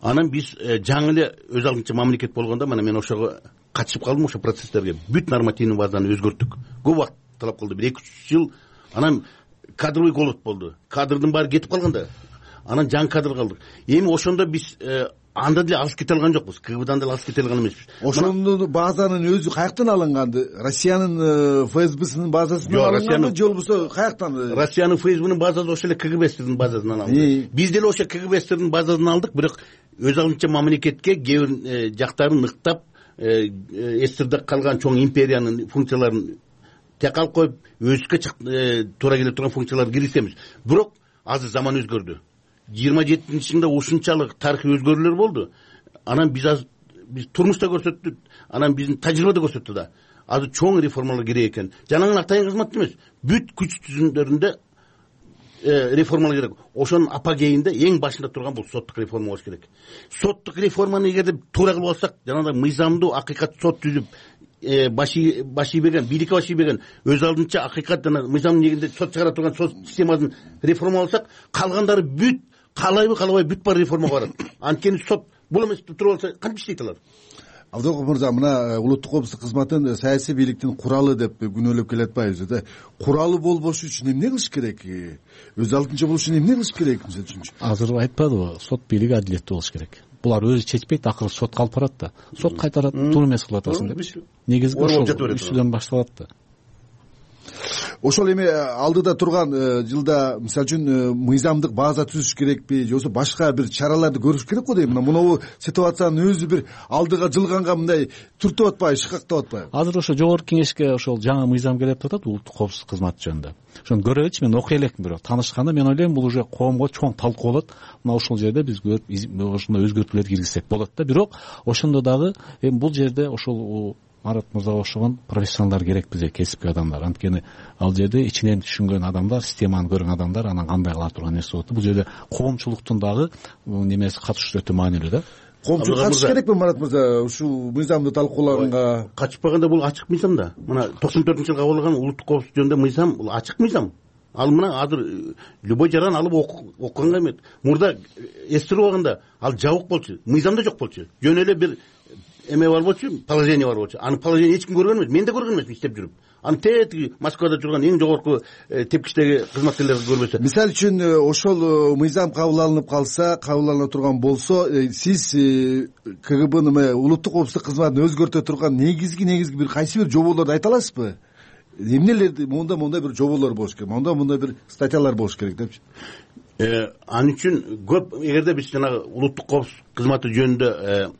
Анан биз жаңы эле өз алдынча мамлекет болгондо, мына мен ошого катышып калдым, ошо процесстерге. Бүт нормативный базаны өзгөрттүк. Көп убакыт талап кылды, бир эки үч жыл. Анан кадровый голод болду. Кадрдын баары кетип калганда, анан жаңы кадр калдык. Эми ошондо биз анда деле алыс кете алган жокпуз, КГБдан деле алыс кете алган эмеспиз. Ошондо базанын өзү каяктан алынган? Россиянын ФСБсынын базасынан алынган же болбосо каяктан? Россиянын ФСБнын базасы ошол эле КГБстердин базасынан алынды. Биз деле ошо КГБстердин базасынан алдык, бирок өз алдынча мамлекетке кээ бир жактарын ыктап, эсирде калган чоң империянын функцияларын тек алып коюп, өзүбүзгө туура келе турган функцияларды киргизебиз. Бирок азыр заман өзгөрдү. жыйырма жетинчи жылда ушунчалык тарыхый өзгөрүүлөр болду. Анан биз азыр биз турмушта көрсөттүк, анан биздин тажрыйба да көрсөттү да. Азыр чоң реформалар керек экен. Жанагы атайын кызмат эмес, бүт күч түзүмдөрүндө реформалар керек. Ошонун апогейинде эң башында турган бул соттук реформа болуш керек. Соттук реформаны эгерде туура кылып алсак, жанагы мыйзамдуу акыйкат сот түзүп, баши баши берген, бийликке баши берген, өз алдынча акыйкат жана мыйзамдын негизинде сот чыгара турган сот системасын реформаласак, калгандары бүт каалайбы каалабай бүт баары реформага барат. Анткени сот бул эмес туруп алса кантип иштейт алар? Абдыков мырза, мына улуттук коопсуздук кызматын саясий бийликтин куралы деп күнөөлөп келатпайбызбы да? Куралы болбош үчүн эмне кылыш керек? Өз алдынча болуш үчүн эмне кылыш керек мисалы үчүн? Азыр айтпадыбы, сот бийлиги адилеттүү болуш керек. Булар өзү чечпейт, акыры сотко алып барат да. Сот кайтарат, туура эмес кылып атасың деп. Негизги ошол үчүдөн башталат да. Ошол эми алдыда турган жылда мисалы үчүн мыйзамдык база түзүш керекпи, же болбосо башка бир чараларды көрүш керек го дейм. Мына мынабу ситуациянын өзү бир алдыга жылганга мындай түртүп атпайбы, шыкактап атпайбы? Азыр ошо жогорку кеңешке ошол жаңы мыйзам келип атат улуттук коопсуздук кызматы жөнүндө. Ошону көрөлүчү, мен окуй элекмин, бирок таанышканда мен ойлойм бул уже коомго чоң талкуу болот. Мына ошол жерде биз көрүп ошондой өзгөртүүлөр киргизсек болот да. Бирок ошондо дагы эми бул жерде ошол Марат мырзага окшогон профессионалдар керек бизге, кесипкөй адамдар. Анткени ал жерде ичинен түшүнгөн адамдар, системаны көргөн адамдар анан кандай кыла турган нерсе болот. Бул жерде коомчулуктун дагы немеси катышуусу өтө маанилүү да. Коомчулук катыш керекпи Марат мырза ушул мыйзамды талкууларга? Катышпаганда бул ачык мыйзам да. Мына токсон төртүнчү жылы кабыл алынган улуттук коопсуздук жөнүндө мыйзам бул ачык мыйзам. Ал мына азыр любой жаран алып окуганга эмес. Мурда эстирип алганда ал жабык болчу, мыйзамда жок болчу. Жөн эле бир эме бар болчу, положение бар болчу. Аны положение эч ким көргөн эмес, мен да көргөн эмесмин иштеп жүрүп. Аны тетиги Москвада турган эң жогорку тепкичтеги кызматкерлер көрбөсө. Мисалы үчүн ошол мыйзам кабыл алынып калса, кабыл алына турган болсо, сиз КГБнын улуттук коопсуздук кызматын өзгөртө турган негизги негизги бир кайсы бир жоболорду айта аласызбы? Эмнелерди монда мондай бир жоболор болуш керек, монда мондай бир статьялар болуш керек депчи. Ал үчүн көп эгерде биз жанагы улуттук коопсуздук кызматы жөнүндө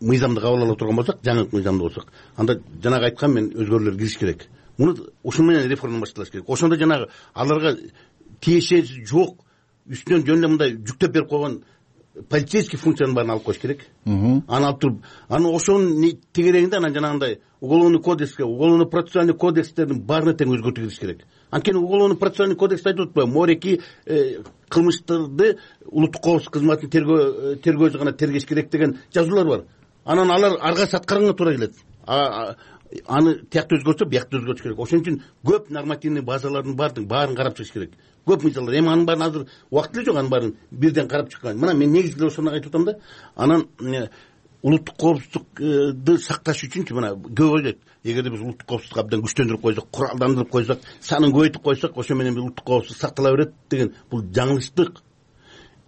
мыйзамды кабыл ала турган болсак, жаңы мыйзамды болсок, анда жанагы айткан мен өзгөрүүлөр кириш керек. Муну ушун менен реформа башталыш керек. Ошондо жанагы аларга тиешеси жок, үстүнөн жөн эле мындай жүктөп берип койгон полицейский функциянын баарын алып коюш керек. Аны алып туруп, анан ошонун тегерегинде анан жанагындай уголовный кодекске, уголовно процессуальный кодекстердин баарына тең өзгөртүү кириш керек. Анткени уголовно процессуальный кодексте айтып атпайбы, мореки кылмыштарды улуттук коопсуздук кызматынын тергөө тергөөсү гана тергеш керек деген жазуулар бар. Анан алар арга саткарганга туура келет. Аны тиякта өзгөртсө, биякта өзгөртүш керек. Ошон үчүн көп нормативный базалардын баардыгын баарын карап чыгыш керек. Көп мыйзамдар. Эми анын баарын азыр убакыт эле жок, анын баарын бирден карап чыккан. Мына мен негизги ошону айтып атам да. Анан улуттук коопсуздукту сакташ үчүнчү мына көп ойлойт. Эгерде биз улуттук коопсуздукту абдан күчтөндүрүп койсок, куралдандырып койсок, санын көбөйтүп койсок, ошо менен улуттук коопсуздук сактала берет деген бул жаңылыштык.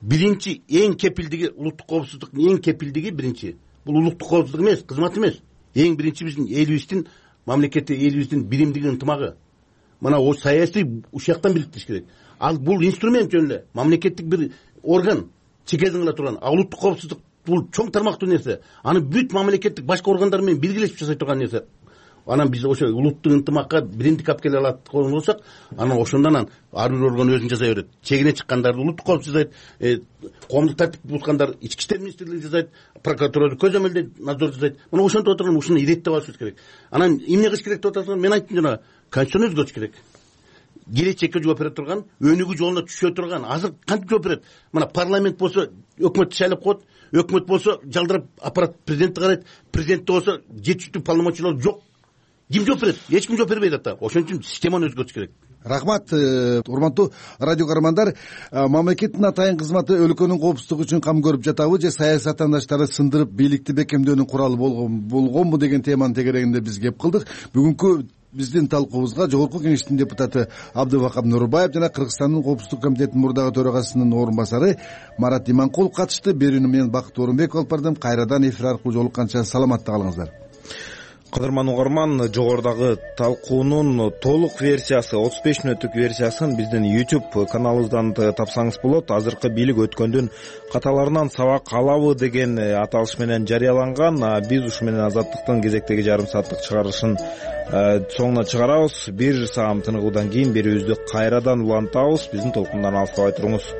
Биринчи эң кепилдиги улуттук коопсуздуктун эң кепилдиги биринчи бул улуттук коопсуздук эмес, кызмат эмес. Эң биринчи биздин элибиздин мамлекетти, элибиздин биримдиги, ынтымагы. Мына о саясий ушактан бириктириш керек. Ал бул инструмент жөн эле, мамлекеттик бир орган, чекелдин кыла турган. А улуттук коопсуздук бул чоң тармактуу нерсе. Аны бүт мамлекеттик башка органдар менен биргелешип жасай турган нерсе. Анан биз ошо улуттук ынтымакка биримдик алып келе алат болсок, анан ошондон анан ар бир орган өзүн жасай берет. Чегине чыккандарды улуттук коопсуздук жасайт, коомдук тартип бузгандарды ички иштер министрлиги жасайт, прокуратура көзөмөлдөйт, надзор жасайт. Мына ошентип отурган ушуну иреттеп алышыбыз керек. Анан эмне кылыш керек деп атасыңар? Мен айттым жана, конституцияны өзгөртүш керек. Келечекке жооп бере турган, өнүгүү жолуна түшө турган. Азыр кантип жооп берет? Мына парламент болсо өкмөттү шайлап коет, өкмөт болсо жалдырап аппарат президентти карайт, президентте болсо жетиштүү полномочиялар жок. Ким жооп берет? Эч ким жооп бербейт ата. Ошон үчүн системаны өзгөртүш керек. Рахмат, урматтуу радио көрөрмандар. Мамлекеттин атайын кызматы өлкөнүн коопсуздугу үчүн кам көрүп жатабы же саясат аттандаштары сындырып бийликти бекемдөөнүн куралы болгонбу деген теманын тегерегинде биз кеп кылдык. Бүгүнкү биздин талкуубузга Жогорку Кеңештин депутаты Абдывакап Нурбаев жана Кыргызстандын Коопсуздук комитетинин мурдагы төрагасынын орун басары Марат Иманкулов катышты. Берүүнү мен Бакыт Орунбеков алып бардым. Кайрадан эфир аркылуу жолукканча саламатта калыңыздар. Кадырман угарман, жогорудагы талкуунун толук версиясы, отуз беш мүнөттүк версиясын биздин YouTube каналыбыздан тапсаңыз болот. Азыркы бийлик өткөндүн каталарынан сабак алабы деген аталыш менен жарыяланган. Биз ушу менен Азаттыктын кезектеги жарым сааттык чыгарылышын соңуна чыгарабыз. Бир саам тыныгуудан кийин берүүбүздү кайрадан улантабыз. Биздин толкундан алыстабай туруңуз.